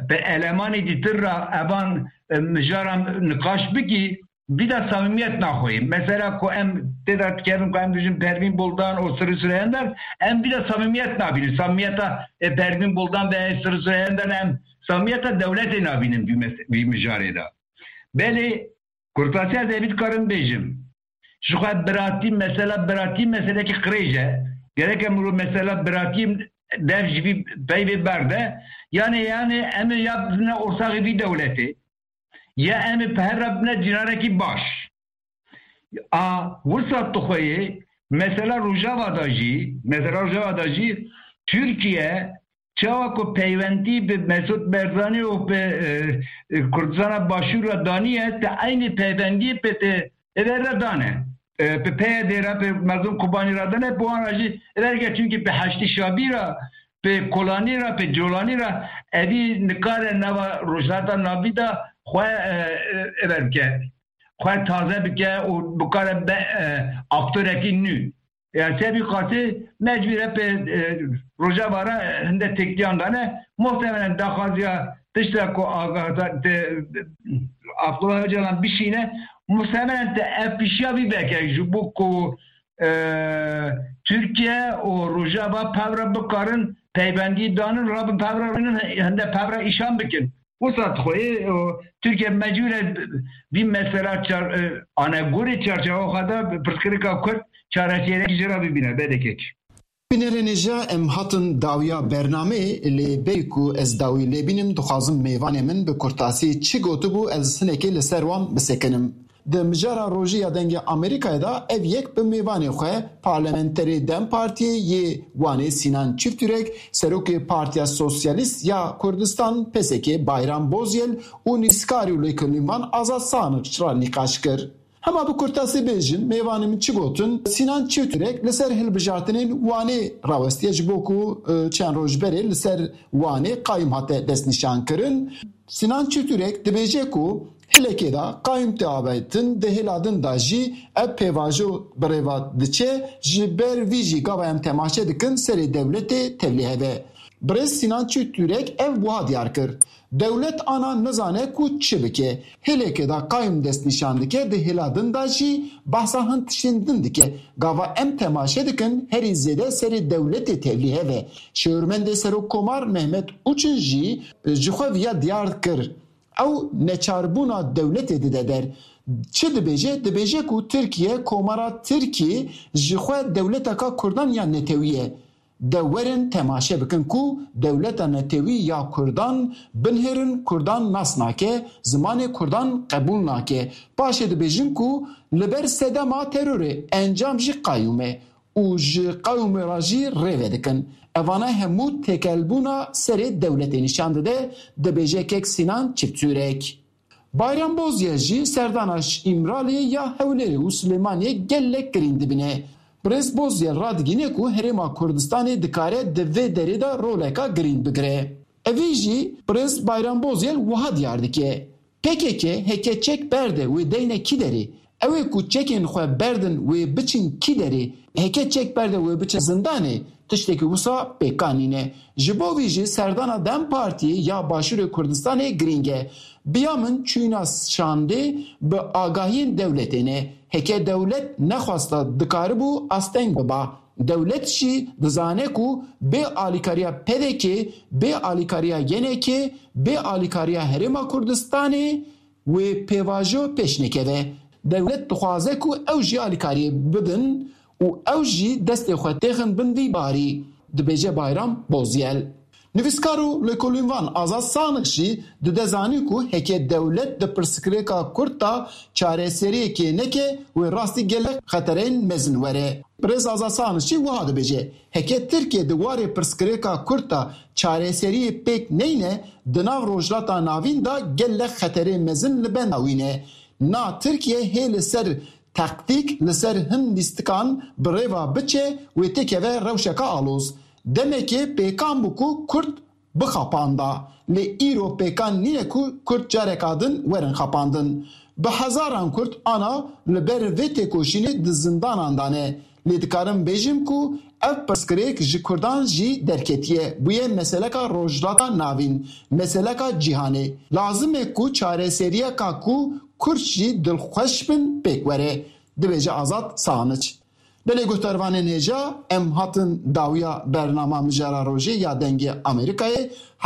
bi elemanê dîtir re evan, e, mijaran niqaş bikî, vî de samîmiyet naxweyê. Mesela ku em tê de dikerin ku em dijin Pervîn Buldan û Sirri Süreyender, em vî de samîmiyet nabînin. Samîmiyeta, e, Pervîn Buldan ve Sirri Süreyender em samîmiyeta dewletê nabînin vî mes-, vî mijarê de. Belê, kurtasiya ez ê vî dikarim bêjim. Ji xwe biratî, mesela biratî meselekî qirêj e. Gerek em ro mesela biratî dev ji vî peyvê berde. Yani, yani em ê ya bizine ortaxê vî dewletê. Ya em ê bi hev re bine cînarekî baş. A, wisa tu xwe yê, mesela Rojava da jî, mesela Rojava da jî Tirkiye çawa ku peywendî bi Mesûd Barzanî û bi, e, e, Kurdistana Başûr re daniye, te eynî peywendî bi te êver re dane. E, bi P Y D re, bi Mezlûm Kobanî re dane, bi wan re jî êver ke, çimkî bi Heştî Şabî re, bi Kolanî re, bi Colanî re, evî nikare nava Rojhilata Navîn de xwe, e, e, êver bike. Xwe taze bike û bikare be, e, aktorekî nû. Ya, sebî qasî mecbûr e pê, e, Rojava re hinde têkiliyan dane. Muhtemelen daxwaziya tişta ku Aga-, te, Abdullah Öcalan bişîne, muhtemelen te ev pişiya vî veke ji bo ku, e, Tirkiye û Rojava pevre bikarin peywendî danin, rabin pevre rinin, hinde pevre îşan bikin. Wisa dixweyê, o, Tirkiye mecbûr e vî mesela çar-, e, anegorê çarçewa xwe de pirsgirêka Kurd çareserekî jê re bibîne, belê kek. Bînerên hêja, em hatin dawiya bernameyê, lê berî ku ez dawî lê bînim, dixwazim mêvanê min bi kurtasî çi gotibû, ez hinekê li ser wan bisekinim. Di mijara rojê ya Dengê Amerîkayê de ev yek bi mêvanê xwe, parlamenterê DEM Partiyê yê Wanê Sînan Çifturek, serokê Partiya Sosyalîst ya Kurdistan, P S K, Bayram Bozyel û nivîskarê û lêkolînvan Azad Sanix re nîqaş kir. Hema bi kurtasî bêjim, mêvanê min çi gotin? Sînan Çifturek li ser hilbijartinên Wanê rawestiye, ji bo ku, e, çend roj berê li ser Wanê qayûm hate destnîşankirin. Sînan Çifturek dibêje ku Hilekê de qayûm tê avêtin, di hêla din de jî ev pêvajo bi rê ve diçe, ji ber vî jî gava em temaşe dikin serê dewletê tevlî hev e. Birêz Sînan Çifturek ev wiha diyar kir, dewlet ana nizane ku çi bike. Hilekê de qayûm destnîşan dike, di hêla din de jî behsa hin tiştên din dike. Gava em temaşe dikin, herî zêde serê dewletê tevlî hev e. Şêwirmendê Serokkomar Mehmet Uçin jî ji xwe viya diyar kir. Ew neçarbûna dewletê dide der. Çi dibêje? Dibêje ku Tirkiye, Komara Tirkî ji xwe dewleteka Kurdan ya netewî ye. De werin temaşe bikin ku dewleta netewî ya Kurdan binêrin, Kurdan nas nake, zimanê Kurdan qebûl nake. Paşê dibêjin ku li ber sedema terorê encam jî qayûm e û ji qayûmê re jî rê vedikin. Evana hemû têkelbûna serê dewletê nîşan dide, dibêje kek Sînan Çifturek. Bayram Bozyel jî serdana ji Îmraliyê ya Hewlêrê û Silêmaniyê gelek girîng dibîne. Birêz Bozyel radigihîne ku Herêma Kurdistanê dikare di vê derê de roleka girîng bigire. Evî jî Birêz Bayram Bozyel wiha diyar dike. P K K heke çek berde wê deyne kî derê? Ew ê ku çekên xwe berdin wê biçin kî derê? Heke çek berde wê biçin zindanê, tiştekî wisa pêkan nîne. Ji bo vî jî serdana DEM Partiyê ya Başûrê Kurdistanê girîng e. Biya min çûyîna şandê bi agahiyên dewletê ne. Heke dewlet nexwesta dikaribû asteng biba. Dewlet jî dizane ku bê alîkariya P D K, bê alîkariya Y N K, bê alîkariya Herêma Kurdistanê wê pêvajo pêş nekeve. Dewlet dixwaze ku ew jî alîkariyê bidin û ew jî destê xwe têxin bin vî barî, dibêje Bayram Bozyel. Nivîskar û lêkolînvan Azad Sanix jî dide zanîn ku heke dewlet di pirsgirêka Kurd de çareseriyekê neke, wê rastî gelek xetereyên mezin were. Birêz Azad Sanix jî wiha dibêje, heke Tirkiye di warê pirsgirêka Kurd de çareseriyê pêk neyne, di nav Rojhilata Navîn de gelek xeterê mezin li benda wî ne. Na Tirkiye hê li ser taktîk, li ser hin lîstikan bi rê ve biçe, wê têkeve rewşeka aloz. Demekê pêkan bû ku Kurd bixapanda. Lê îro pêkan nîne ku Kurd careka din werin xapandin. Bi hezaran Kurd ana li ber vê têkoşînê di zindanan de ne. Lê dikarim bêjim ku ev pirsgirêk ji Kurdan jî derketiye, bûye meseleka Rojhilata Navîn, meseleka cîhanê. Lazim e ku çareseriyeka ku Kurd jî dilxweş bin pêk were, dibêje Azad Sahaniç. Belê guhdarvanên hêja, em hatin dawiya bernama Mijara Rojê ya Dengê Amerîkayê.